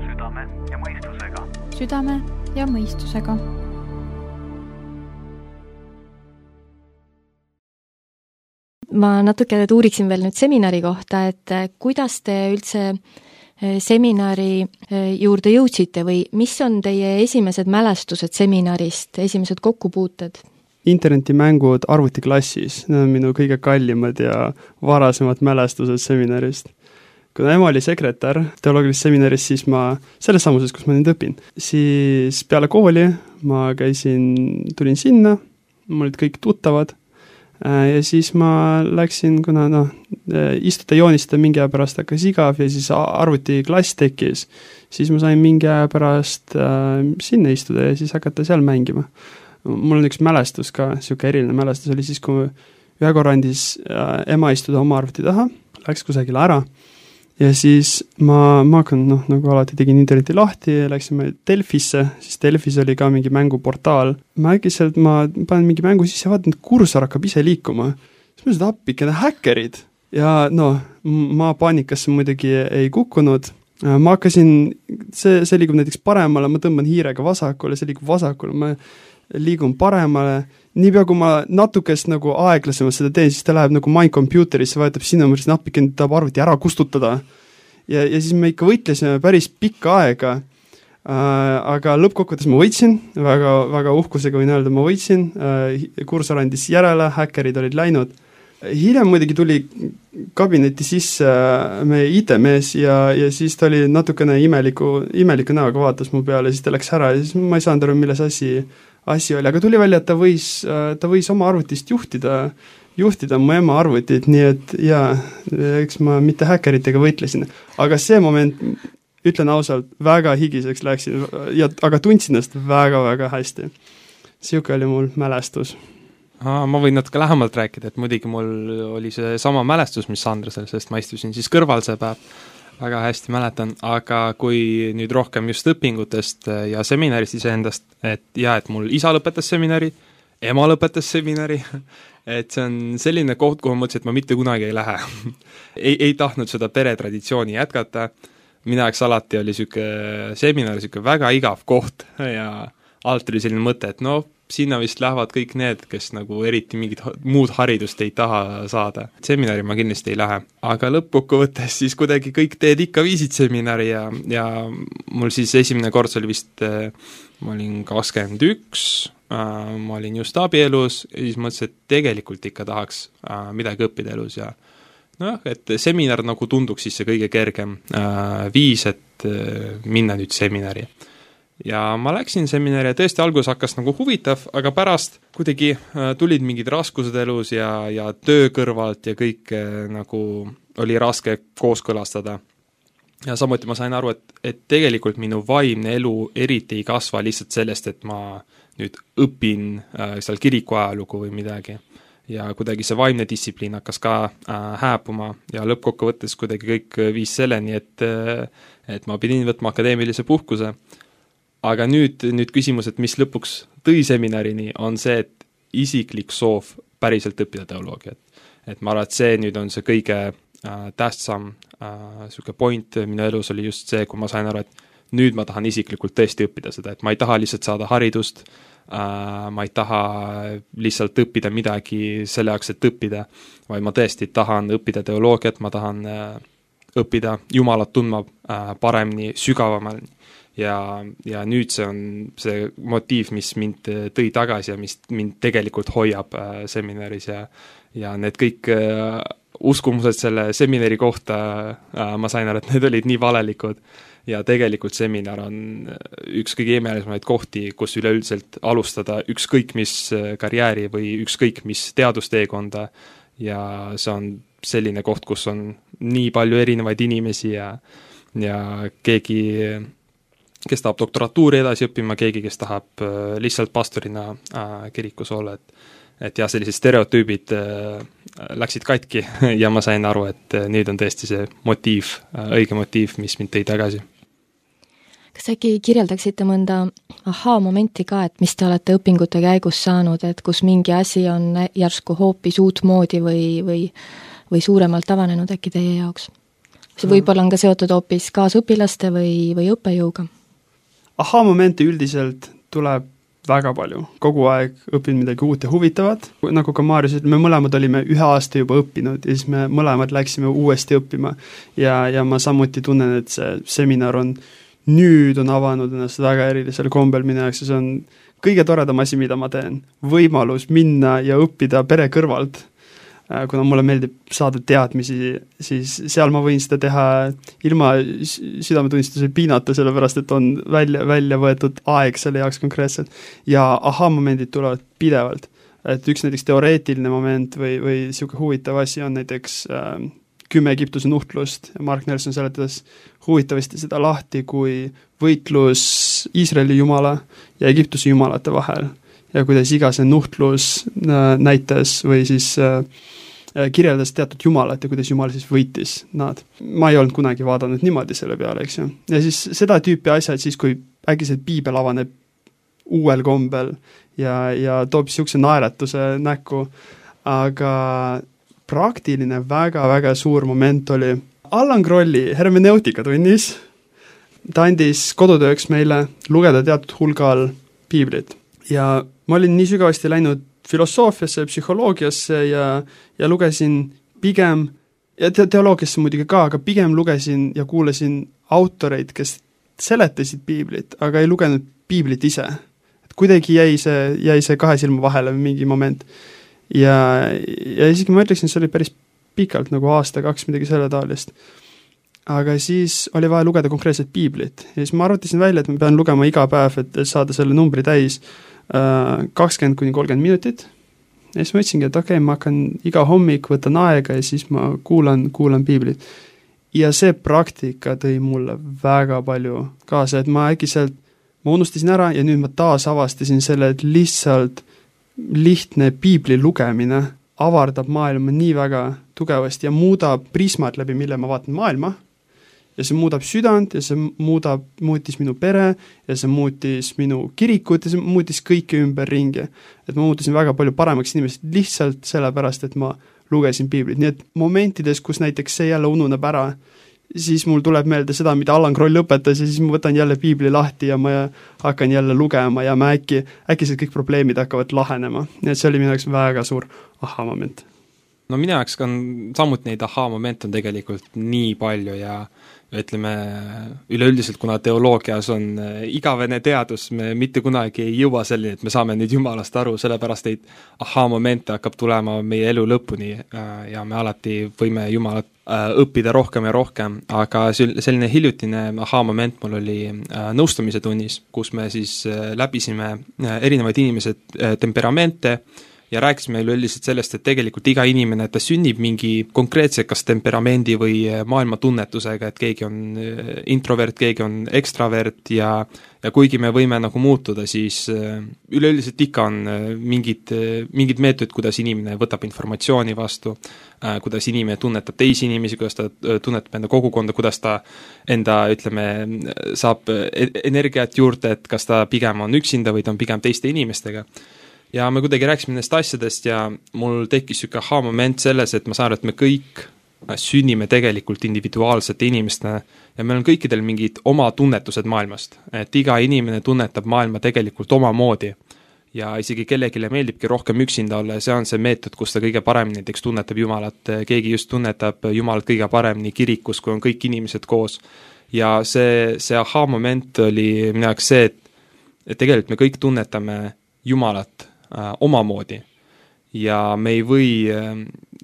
S1: Südame ja mõistusega.
S7: Südame ja mõistusega.
S4: Ma natuke uuriksin veel nüüd seminari kohta, et kuidas te üldse seminari juurde jõudsite või mis on teie esimesed mälestused seminarist, esimesed kokkupuuted?
S5: Internetimängud arvutiklassis, need on minu kõige kallimad ja varasemad mälestused seminarist. Kui ema oli sekretär teoloogilises seminaris, siis ma, selles samuses, kus ma nüüd õpin, siis peale kooli ma käisin, tulin sinna, mul olid kõik tuttavad, ja siis ma läksin, kuna noh, istuda joonistada mingi aja pärast hakkas igav ja siis arvuti klass tekkis, siis ma sain mingi aja pärast äh, sinna istuda ja siis hakata seal mängima. Mul on üks mälestus ka, siuke eriline mälestus oli siis, kui ühe korra andis äh, ema istuda oma arvuti taha, läks kusagile ära ja siis ma, ma hakkan, noh, nagu alati tegin interneti lahti ja läksime Delfisse, siis Delfis oli ka mingi mänguportaal. Ma äkkiselt, ma panen mingi mängu sisse ja vaatan, et kursor hakkab ise liikuma. Siis ma seda appikene häkkerid ja noh, ma paanikasse muidugi ei kukkunud. Ma hakkasin, see, see liigub näiteks paremale, ma tõmban hiirega vasakule, see liigub vasakule, ma liigun paremale. Niipea, kui ma natukest nagu aeglasemalt seda teen, siis ta läheb nagu My Computerisse, vajutab sinna, ma mõtlesin appikene, tahab arvuti ära kustutada. Ja, ja siis me ikka võitlesime päris pikka aega, äh, aga lõppkokkuvõttes ma võitsin, väga, väga uhkusega võin öelda, ma võitsin, äh, kursor andis järele, häkkerid olid läinud. Hiljem muidugi tuli kabineti sisse meie I T-mees ja, ja siis ta oli natukene imeliku, imeliku näoga vaatas mu peale, siis ta läks ära ja siis ma ei saanud aru, milles asi, asi oli, aga tuli välja, et ta võis, ta võis oma arvutist juhtida, juhtida mu ema arvutit, nii et jaa, eks ma mitte häkkeritega võitlesin, aga see moment, ütlen ausalt, väga higiseks läksin, ja, aga tundsin ennast väga-väga hästi. Siuke oli mul mälestus.
S6: Aa, ma võin natuke lähemalt rääkida, et muidugi mul oli see sama mälestus, mis Andresel, sest ma istusin siis kõrval see päev, väga hästi mäletan, aga kui nüüd rohkem just õpingutest ja seminarist iseendast, et jah, et mul isa lõpetas seminari, ema lõpetas seminari, et see on selline koht, kuhu ma mõtlesin, et ma mitte kunagi ei lähe ei, ei tahtnud seda peretraditsiooni jätkata, mina eks alati oli siuke seminar, siuke väga igav koht ja alt tuli selline mõte, et no sinna vist lähevad kõik need, kes nagu eriti mingit muud haridust ei taha saada. Seminari ma kindlasti ei lähe, aga lõppkokkuvõttes siis kuidagi kõik teed ikka viisid seminari ja, ja mul siis esimene kord oli vist, ma olin kakskümmend üks, ma olin just abielus ja siis mõtlesin, et tegelikult ikka tahaks midagi õppida elus ja noh, et seminar nagu tunduks siis see kõige kergem viis, et minna nüüd seminari. Ja ma läksin seminari ja tõesti algus hakkas nagu huvitav, aga pärast kuidagi tulid mingid raskused elus ja, ja töö kõrvalt ja kõik nagu oli raske kooskõlastada. Ja samuti ma sain aru, et, et tegelikult minu vaimne elu eriti ei kasva lihtsalt sellest, et ma nüüd õpin äh, seal kiriku ajalugu või midagi. Ja kuidagi see vaimne distsipliin hakkas ka äh, hääpuma ja lõppkokkuvõttes kuidagi kõik viis selleni, et, et ma pidin võtma akadeemilise puhkuse. Aga nüüd, nüüd küsimus, et mis lõpuks tõi seminarini, on see, et isiklik soov päriselt õppida teoloogiat. Et ma arvan, et see nüüd on see kõige äh, tähtsam äh, selline point minu elus oli just see, kui ma sain aru, et nüüd ma tahan isiklikult tõesti õppida seda, et ma ei taha lihtsalt saada haridust, Uh, ma ei taha lihtsalt õppida midagi selle jaoks, et õppida, vaid ma tõesti tahan õppida teoloogiat, ma tahan uh, õppida Jumalat tundma uh, paremini, sügavamalt ja, ja nüüd see on see motiiv, mis mind tõi tagasi ja mis mind tegelikult hoiab uh, seminaris ja, ja need kõik uh, uskumused selle seminari kohta uh, ma sain aru, et need olid nii valelikud. Ja tegelikult seminar on üks kõige imelisemaid kohti, kus üleüldiselt alustada ükskõik mis karjääri või ükskõik mis teadusteekonda ja see on selline koht, kus on nii palju erinevaid inimesi ja, ja keegi, kes tahab doktoratuuri edasi õppima, keegi, kes tahab lihtsalt pastorina kirikus olla, et, et jah, sellised stereotüübid läksid katki ja ma sain aru, et nüüd on tõesti see motiiv, õige motiiv, mis mind tõi tagasi.
S4: Kas äkki kirjeldaksite mõnda ahaa-momenti ka, et mis te olete õpingute käigus saanud, et kus mingi asi on järsku hoopis uut moodi või, või, või suuremalt avanenud äkki teie jaoks? See võib-olla on ka seotud hoopis kaasõpilaste või, või õppejõuga?
S5: Ahaa-momente üldiselt tuleb väga palju. Kogu aeg õpin midagi uut ja huvitavat. Nagu ka Maarjus, me mõlemad olime ühe aasta juba õppinud ja siis me mõlemad läksime uuesti õppima ja, ja ma samuti tunnen, et see seminar on nüüd on avanud ennast väga erilisel kombel minu jaoks ja see on kõige toredam asi, mida ma teen. Võimalus minna ja õppida pere kõrvalt. Kuna mulle meeldib saada teadmisi, siis seal ma võin seda teha ilma südametunnistuse piinata, sellepärast et on välja, välja võetud aeg selle jaoks konkreetselt. Ja aha-momendid tulevad pidevalt. Et üks näiteks teoreetiline moment või, või siuke huvitav asi on näiteks äh, kümme Egiptuse nuhtlust ja Mark Nelson seletas huvitavasti seda lahti kui võitlus Iisraeli jumala ja Egiptuse jumalate vahel ja kuidas iga see nuhtlus näitas või siis äh, kirjeldas teatud jumalat ja kuidas jumal siis võitis nad. Ma ei olnud kunagi vaadanud niimoodi selle peale, eks ju. Ja siis seda tüüpi asjad siis, kui äkki piibel avaneb uuel kombel ja, ja toob siukse naeratuse näkku, aga praktiline väga-väga suur moment oli Allan Krolli hermeneutika tunnis. Ta andis kodutööks meile lugeda teatud hulgal piiblit ja ma olin nii sügavasti läinud filosoofiasse ja psühholoogiasse ja, ja lugesin pigem, ja te- teoloogiasse muidugi ka, aga pigem lugesin ja kuulasin autoreid, kes seletasid piiblit, aga ei lugenud piiblit ise. Et kuidagi jäi see, jäi see kahe silma vahele mingi moment. Ja, ja isegi ma ütleksin, see oli päris pikalt, nagu aasta, kaks, midagi selle taolist. Aga siis oli vaja lugeda konkreetset piiblit. Ja siis ma arvutasin välja, et ma pean lugema iga päev, et saada selle numbri täis kakskümmend kuni kolmkümmend minutit. Ja siis ma ütlesingi, et okei, okay, ma hakkan iga hommik, võtan aega ja siis ma kuulan, kuulan piiblit. Ja see praktika tõi mulle väga palju kaasa, et ma äkki sealt, ma unustasin ära ja nüüd ma taas avastasin selle, et lihtsalt lihtne piibli lugemine avardab maailma nii väga tugevasti ja muudab prismad läbi, mille ma vaatan maailma ja see muudab südant ja see muudab, muutis minu pere ja see muutis minu kirikut ja see muutis kõike ümber ringi. Et ma muutusin väga palju paremaks inimesed lihtsalt sellepärast, et ma lugesin piiblit. Nii et momentides, kus näiteks see jälle ununeb ära, siis mul tuleb meelde seda, mida Allan Kroll õpetas ja siis ma võtan jälle piibli lahti ja ma hakkan jälle lugema ja ma äkki, äkki see kõik probleemid hakkavad lahenema. Nii et see oli minu jaoks väga suur aha-moment.
S6: No minu jaoks on samuti neid aha-moment on tegelikult nii palju ja ütleme, üleüldiselt, kuna teoloogias on igavene teadus, me mitte kunagi ei jõua selline, et me saame nüüd Jumalast aru, sellepärast neid aha-momente hakkab tulema meie elu lõpuni ja me alati võime Jumalat õppida rohkem ja rohkem, aga selline hiljutine aha-moment mul oli nõustamise tunnis, kus me siis läbisime erinevaid inimesed temperamente ja rääkisime üleüldiselt sellest, et tegelikult iga inimene, ta sünnib mingi konkreetse kas temperamendi või maailmatunnetusega, et keegi on introvert, keegi on ekstravert ja ja kuigi me võime nagu muutuda, siis üleüldiselt ikka on mingid, mingid meetodid, kuidas inimene võtab informatsiooni vastu, kuidas inimene tunnetab teisi inimesi, kuidas ta tunnetab enda kogukonda, kuidas ta enda, ütleme, saab energiat juurde, et kas ta pigem on üksinda või ta on pigem teiste inimestega. Ja me kuidagi rääkisime nendest asjadest ja mul tekkis siuke aha moment selles, et ma saan aru, et me kõik sünnime tegelikult individuaalsete inimestena ja meil on kõikidel mingid oma tunnetused maailmast, et iga inimene tunnetab maailma tegelikult omamoodi ja isegi kellegile meeldibki rohkem üksinda olla ja see on see meetod, kus ta kõige paremini näiteks tunnetab Jumalat, keegi just tunnetab Jumalat kõige paremini kirikus, kui on kõik inimesed koos ja see, see aha moment oli minu jaoks see, et, et tegelikult me kõik tunnetame Jumalat äh, omamoodi ja me ei või äh,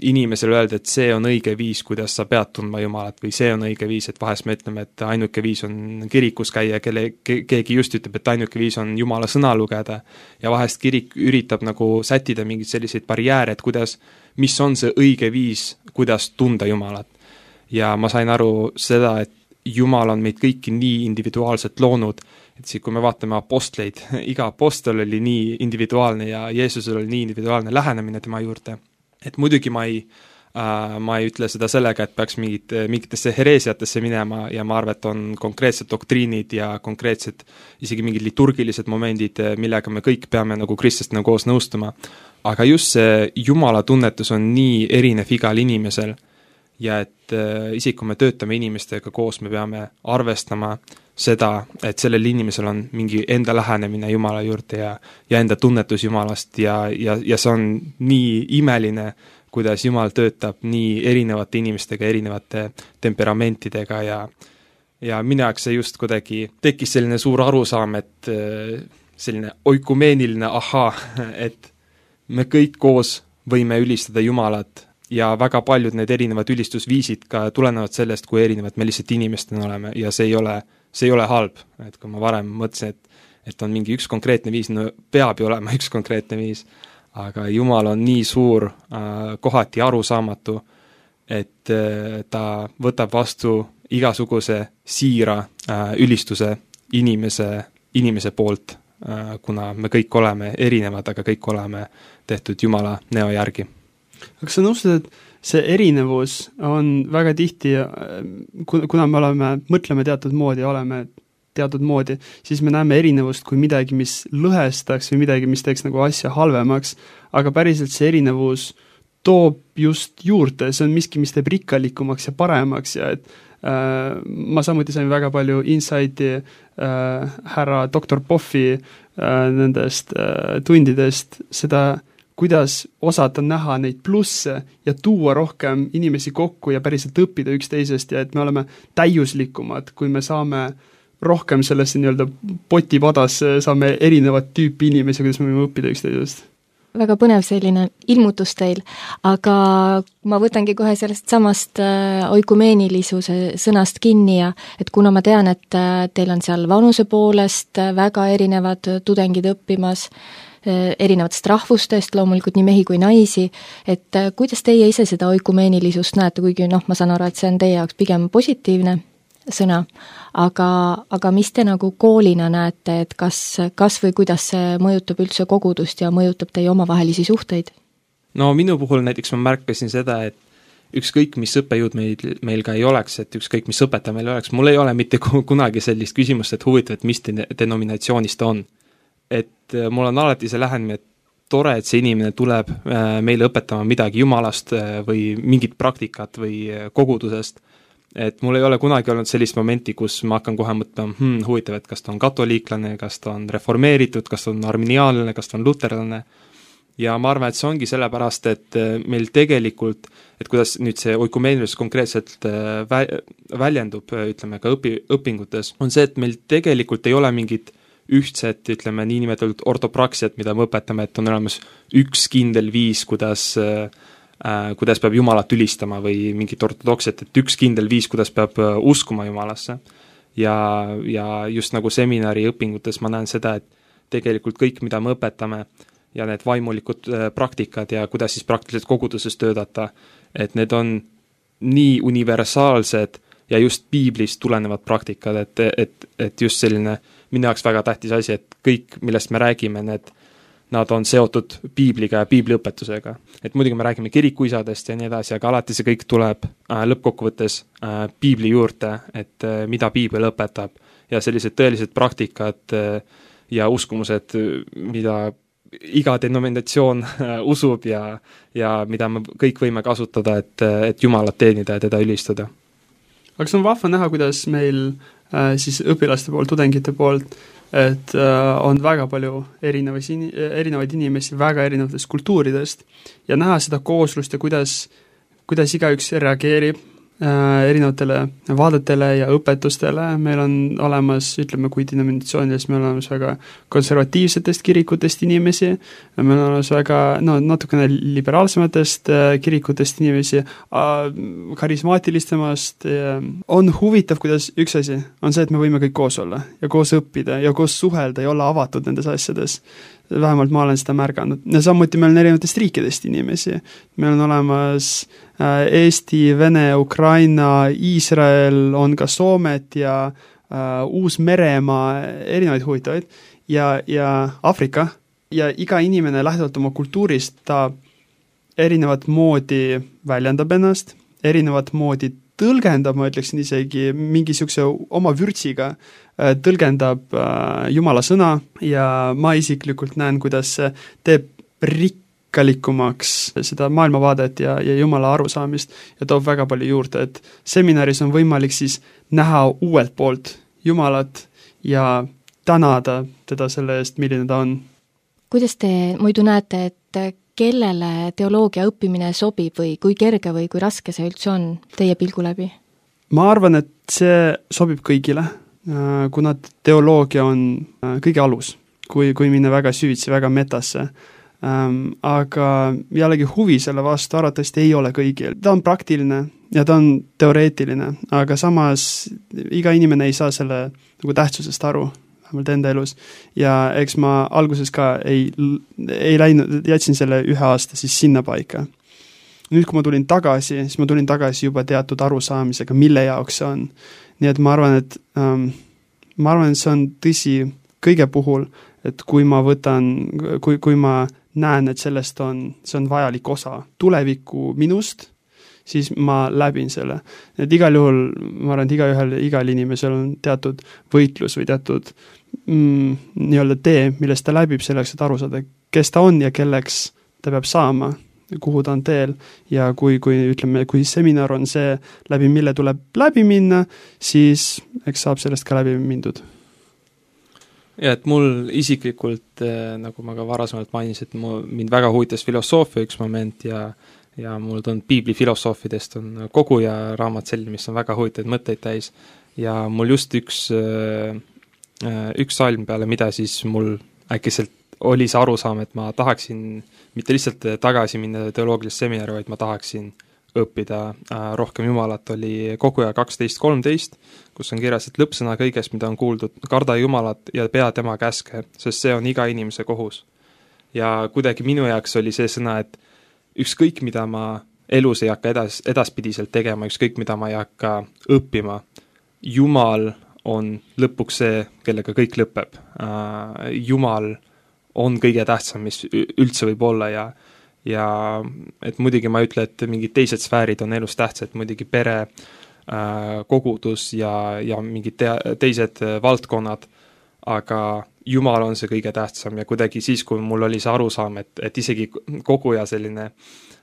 S6: inimesele öelda, et see on õige viis, kuidas sa pead tundma Jumalat või see on õige viis, et vahest me ütleme, et ainuke viis on kirikus käia, kelle, ke, keegi just ütleb, et ainuke viis on Jumala sõna lugeda ja vahest kirik üritab nagu sättida mingeid selliseid barjääre, et kuidas, mis on see õige viis, kuidas tunda Jumalat. Ja ma sain aru seda, et Jumal on meid kõiki nii individuaalselt loonud, et siis, kui me vaatame apostleid, iga apostel oli nii individuaalne ja Jeesusel oli nii individuaalne lähenemine tema juurde. Et muidugi ma ei, äh, ma ei ütle seda sellega, et peaks mingit, mingitesse hereesiatesse minema ja ma arvan, et on konkreetsed doktriinid ja konkreetsed isegi mingid liturgilised momendid, millega me kõik peame nagu kristlastena koos nõustuma. Aga just see Jumala tunnetus on nii erinev igal inimesel ja et äh, isegi kui me töötame inimestega koos, me peame arvestama seda, et sellel inimesel on mingi enda lähenemine Jumala juurde ja, ja enda tunnetus Jumalast ja, ja, ja see on nii imeline, kuidas Jumal töötab nii erinevate inimestega, erinevate temperamentidega ja, ja minu jaoks see just kuidagi tekkis selline suur arusaam, et selline oikumeeniline ahaa, et me kõik koos võime ülistada Jumalat ja väga paljud need erinevad ülistusviisid ka tulenevad sellest, kui erinevad me lihtsalt inimestena oleme ja see ei ole see ei ole halb, et kui ma varem mõtlesin, et, et on mingi üks konkreetne viis, no peab ju olema üks konkreetne viis, aga Jumal on nii suur, äh, kohati arusaamatu, et äh, ta võtab vastu igasuguse siira äh, ülistuse inimese, inimese poolt, äh, kuna me kõik oleme erinevad, aga kõik oleme tehtud Jumala näo järgi.
S5: Aga sa nõustud, et see erinevus on väga tihti, kuna me oleme, mõtleme teatud moodi, oleme teatud moodi, siis me näeme erinevust kui midagi, mis lõhestaks või midagi, mis teeks nagu asja halvemaks, aga päriselt see erinevus toob just juurde, see on miski, mis teeb rikkalikumaks ja paremaks ja et äh, ma samuti sain väga palju insighti äh, härra doktor Poffi äh, nendest äh, tundidest, seda kuidas osata näha neid plusse ja tuua rohkem inimesi kokku ja päriselt õppida üksteisest ja et me oleme täiuslikumad, kui me saame rohkem sellesse nii-öelda potipadasse, saame erinevat tüüpi inimesi, kuidas me võime õppida üksteisest.
S4: Väga põnev selline ilmutus teil, aga ma võtangi kohe sellest samast oikumeenisuse sõnast kinni ja et kuna ma tean, et teil on seal vanuse poolest väga erinevad tudengid õppimas, erinevatest rahvustest, loomulikult nii mehi kui naisi, et kuidas teie ise seda oikumeenilisust näete, kuigi noh, ma saan aru, et see on teie jaoks pigem positiivne sõna, aga, aga mis te nagu koolina näete, et kas, kas või kuidas see mõjutab üldse kogudust ja mõjutab teie omavahelisi suhteid?
S6: No minu puhul näiteks ma märkasin seda, et ükskõik, mis õppejõud meil, meil ka ei oleks, et ükskõik, mis õpetaja meil oleks, mul ei ole mitte kunagi sellist küsimust, et huvitav, et mis denominatsioonist ta on. Et mul on alati see lähenemine, et tore, et see inimene tuleb meile õpetama midagi Jumalast või mingit praktikat või kogudusest, et mul ei ole kunagi olnud sellist momenti, kus ma hakkan kohe mõtlema, hmm, huvitav, et kas ta on katoliiklane, kas ta on reformeeritud, kas ta on arminiaalne, kas ta on luterlane, ja ma arvan, et see ongi sellepärast, et meil tegelikult, et kuidas nüüd see oikumeenilis konkreetselt vä- väljendub, ütleme ka õpi, õpingutes, on see, et meil tegelikult ei ole mingit ühtset, ütleme, niinimetatud ortopraksiat, mida me õpetame, et on olemas üks kindel viis, kuidas, äh, kuidas peab Jumalat ülistama või mingit ortodoksiat, et üks kindel viis, kuidas peab uskuma Jumalasse. Ja, ja just nagu seminari õpingutes ma näen seda, et tegelikult kõik, mida me õpetame, ja need vaimulikud praktikad ja kuidas siis praktiliselt koguduses töötada, et need on nii universaalsed ja just piiblist tulenevad praktikad, et, et, et just selline minu jaoks väga tähtis asi, et kõik, millest me räägime, need nad on seotud piibliga ja piibliõpetusega. Et muidugi me räägime kirikuisadest ja nii edasi, aga alati see kõik tuleb äh, lõppkokkuvõttes äh, piibli juurde, et äh, mida piibel õpetab ja sellised tõelised praktikad äh, ja uskumused, mida iga denominatsioon äh, usub ja, ja mida me kõik võime kasutada, et, et Jumalat teenida ja teda ülistada.
S5: Aga see on vahva näha, kuidas meil äh, siis õpilaste poolt, tudengite poolt et äh, on väga palju erinevaid, erinevaid inimesi väga erinevatest kultuuridest ja näha seda kooslust ja kuidas, kuidas igaüks reageerib äh, erinevatele vaadetele ja õpetustele. Meil on olemas, ütleme, kui denominatsioonides meil on olemas väga konservatiivsetest kirikutest inimesi, meil on olemas väga no, natukene liberaalsematest äh, kirikutest inimesi, äh, karismaatilistemast. Äh, on huvitav, kuidas üks asi on see, et me võime kõik koos olla ja koos õppida ja koos suhelda ja olla avatud nendes asjades. Vähemalt ma olen seda märganud. Ja samuti meil on erinevatest riikidest inimesi. Meil on olemas äh, Eesti, Vene, Ukraina, Iisrael, on ka Soomet ja äh, Uus-Meremaa, erinevaid huvitavaid ja, ja Afrika. Ja iga inimene lähtuvalt oma kultuurist, ta erinevat moodi väljendab ennast, erinevat moodi tõlgendab, ma ütleksin isegi mingisuguse oma vürtsiga, tõlgendab Jumala sõna ja ma isiklikult näen, kuidas see teeb rikkalikumaks seda maailmavaadet ja, ja Jumala arusaamist ja toob väga palju juurde, et seminaris on võimalik siis näha uuelt poolt Jumalat ja tänada teda selle eest, milline ta on.
S4: Kuidas te muidu näete, et kellele teoloogia õppimine sobib või kui kerge või kui raske see üldse on teie pilgu läbi?
S5: Ma arvan, et see sobib kõigile, kuna teoloogia on kõige alus, kui, kui minna väga süvitsi, väga metasse. Aga jällegi huvi selle vastu arvatavasti ei ole kõigil. Ta on praktiline ja ta on teoreetiline, aga samas iga inimene ei saa selle nagu tähtsusest aru enda elus ja eks ma alguses ka ei, ei läinud, jätsin selle ühe aasta siis sinna paika. Nüüd, kui ma tulin tagasi, siis ma tulin tagasi juba teatud arusaamisega, mille jaoks see on. Nii et ma arvan, et ähm, ma arvan, et see on tõsi kõige puhul, et kui ma võtan, kui, kui ma näen, et sellest on, see on vajalik osa tuleviku minust, siis ma läbin selle. Et igal juhul, ma arvan, et iga ühel, igal inimesel on teatud võitlus või teatud mm, nii-öelda tee, millest ta läbib selleks, et aru saada, kes ta on ja kelleks ta peab saama, kuhu ta on teel ja kui, kui ütleme, kui seminar on see, läbi mille tuleb läbi minna, siis eks saab sellest ka läbi mindud.
S6: Ja et mul isiklikult, nagu ma ka varasemalt mainis, et mu, mind väga huvitas filosoofia üks moment ja ja mul on piibli filosoofidest on koguja raamat selline, mis on väga huvitaid mõtteid täis ja mul just üks, üks salm peale, mida siis mul äkkiselt oli see arusaam, et ma tahaksin mitte lihtsalt tagasi minna teoloogilist seminari, vaid ma tahaksin õppida rohkem Jumalat, oli koguja kaksteist kolmteist, kus on kirjas, et lõppsõna kõigest, mida on kuuldud, karda Jumalat ja pea tema käske, sest see on iga inimese kohus. Ja kuidagi minu jaoks oli see sõna, et ükskõik, mida ma elus ei hakka edas, edaspidiselt tegema, ükskõik, mida ma ei hakka õppima, Jumal on lõpuks see, kellega kõik lõpeb. Jumal on kõige tähtsam, mis üldse võib olla ja, ja et muidugi ma ütle, et mingid teised sfäärid on elus tähtsad, muidugi pere, kogudus ja, ja mingid te, teised valdkonnad, aga Jumal on see kõige tähtsam ja kuidagi siis, kui mul oli see arusaam, et, et isegi koguja selline,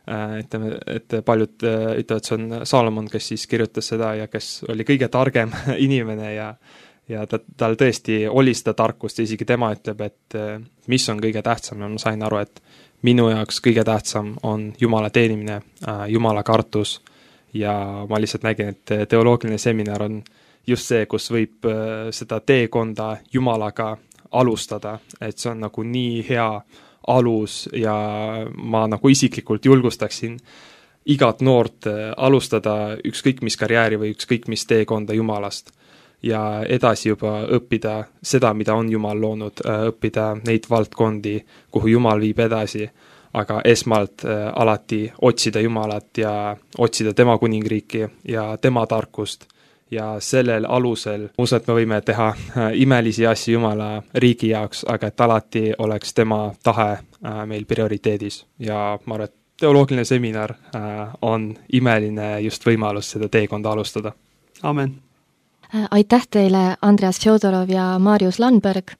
S6: ütleme, et paljud ütlevad, see on Saalomon, kes siis kirjutas seda ja kes oli kõige targem inimene ja, ja ta, tal tõesti oli seda tarkust ja isegi tema ütleb, et mis on kõige tähtsam ja ma sain aru, et minu jaoks kõige tähtsam on Jumala teenimine, Jumala kartus ja ma lihtsalt nägin, et teoloogiline seminar on just see, kus võib seda teekonda Jumalaga alustada, et see on nagu nii hea alus ja ma nagu isiklikult julgustaksin igat noort alustada ükskõik mis karjääri või ükskõik mis teekonda Jumalast. ja edasi juba õppida seda, mida on Jumal loonud, õppida neid valdkondi, kuhu Jumal viib edasi, aga esmalt alati otsida Jumalat ja otsida tema kuningriiki ja tema tarkust. Ja sellel alusel usun, et me võime teha imelisi asju Jumala riigi jaoks, aga et alati oleks tema tahe meil prioriteedis. Ja ma arvan, et teoloogiline seminar on imeline just võimalus seda teekonda alustada.
S5: Amen.
S4: Aitäh teile, Andreas Fjodorov ja Marius Landberg.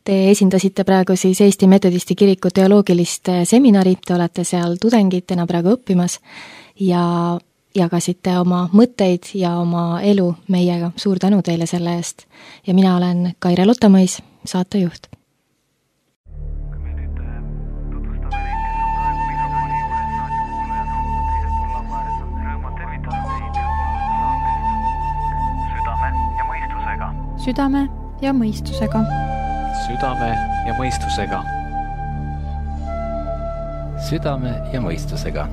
S4: Te esindasite praegu siis Eesti Metodisti Kiriku teoloogilist seminari, te olete seal tudengitena praegu õppimas ja jagasite oma mõtteid ja oma elu meiega. Suur tänu teile selle eest. Ja mina olen Kaire Lotamõis, saatejuht.
S7: Südame ja mõistusega.
S2: Südame ja mõistusega.
S3: Südame ja mõistusega.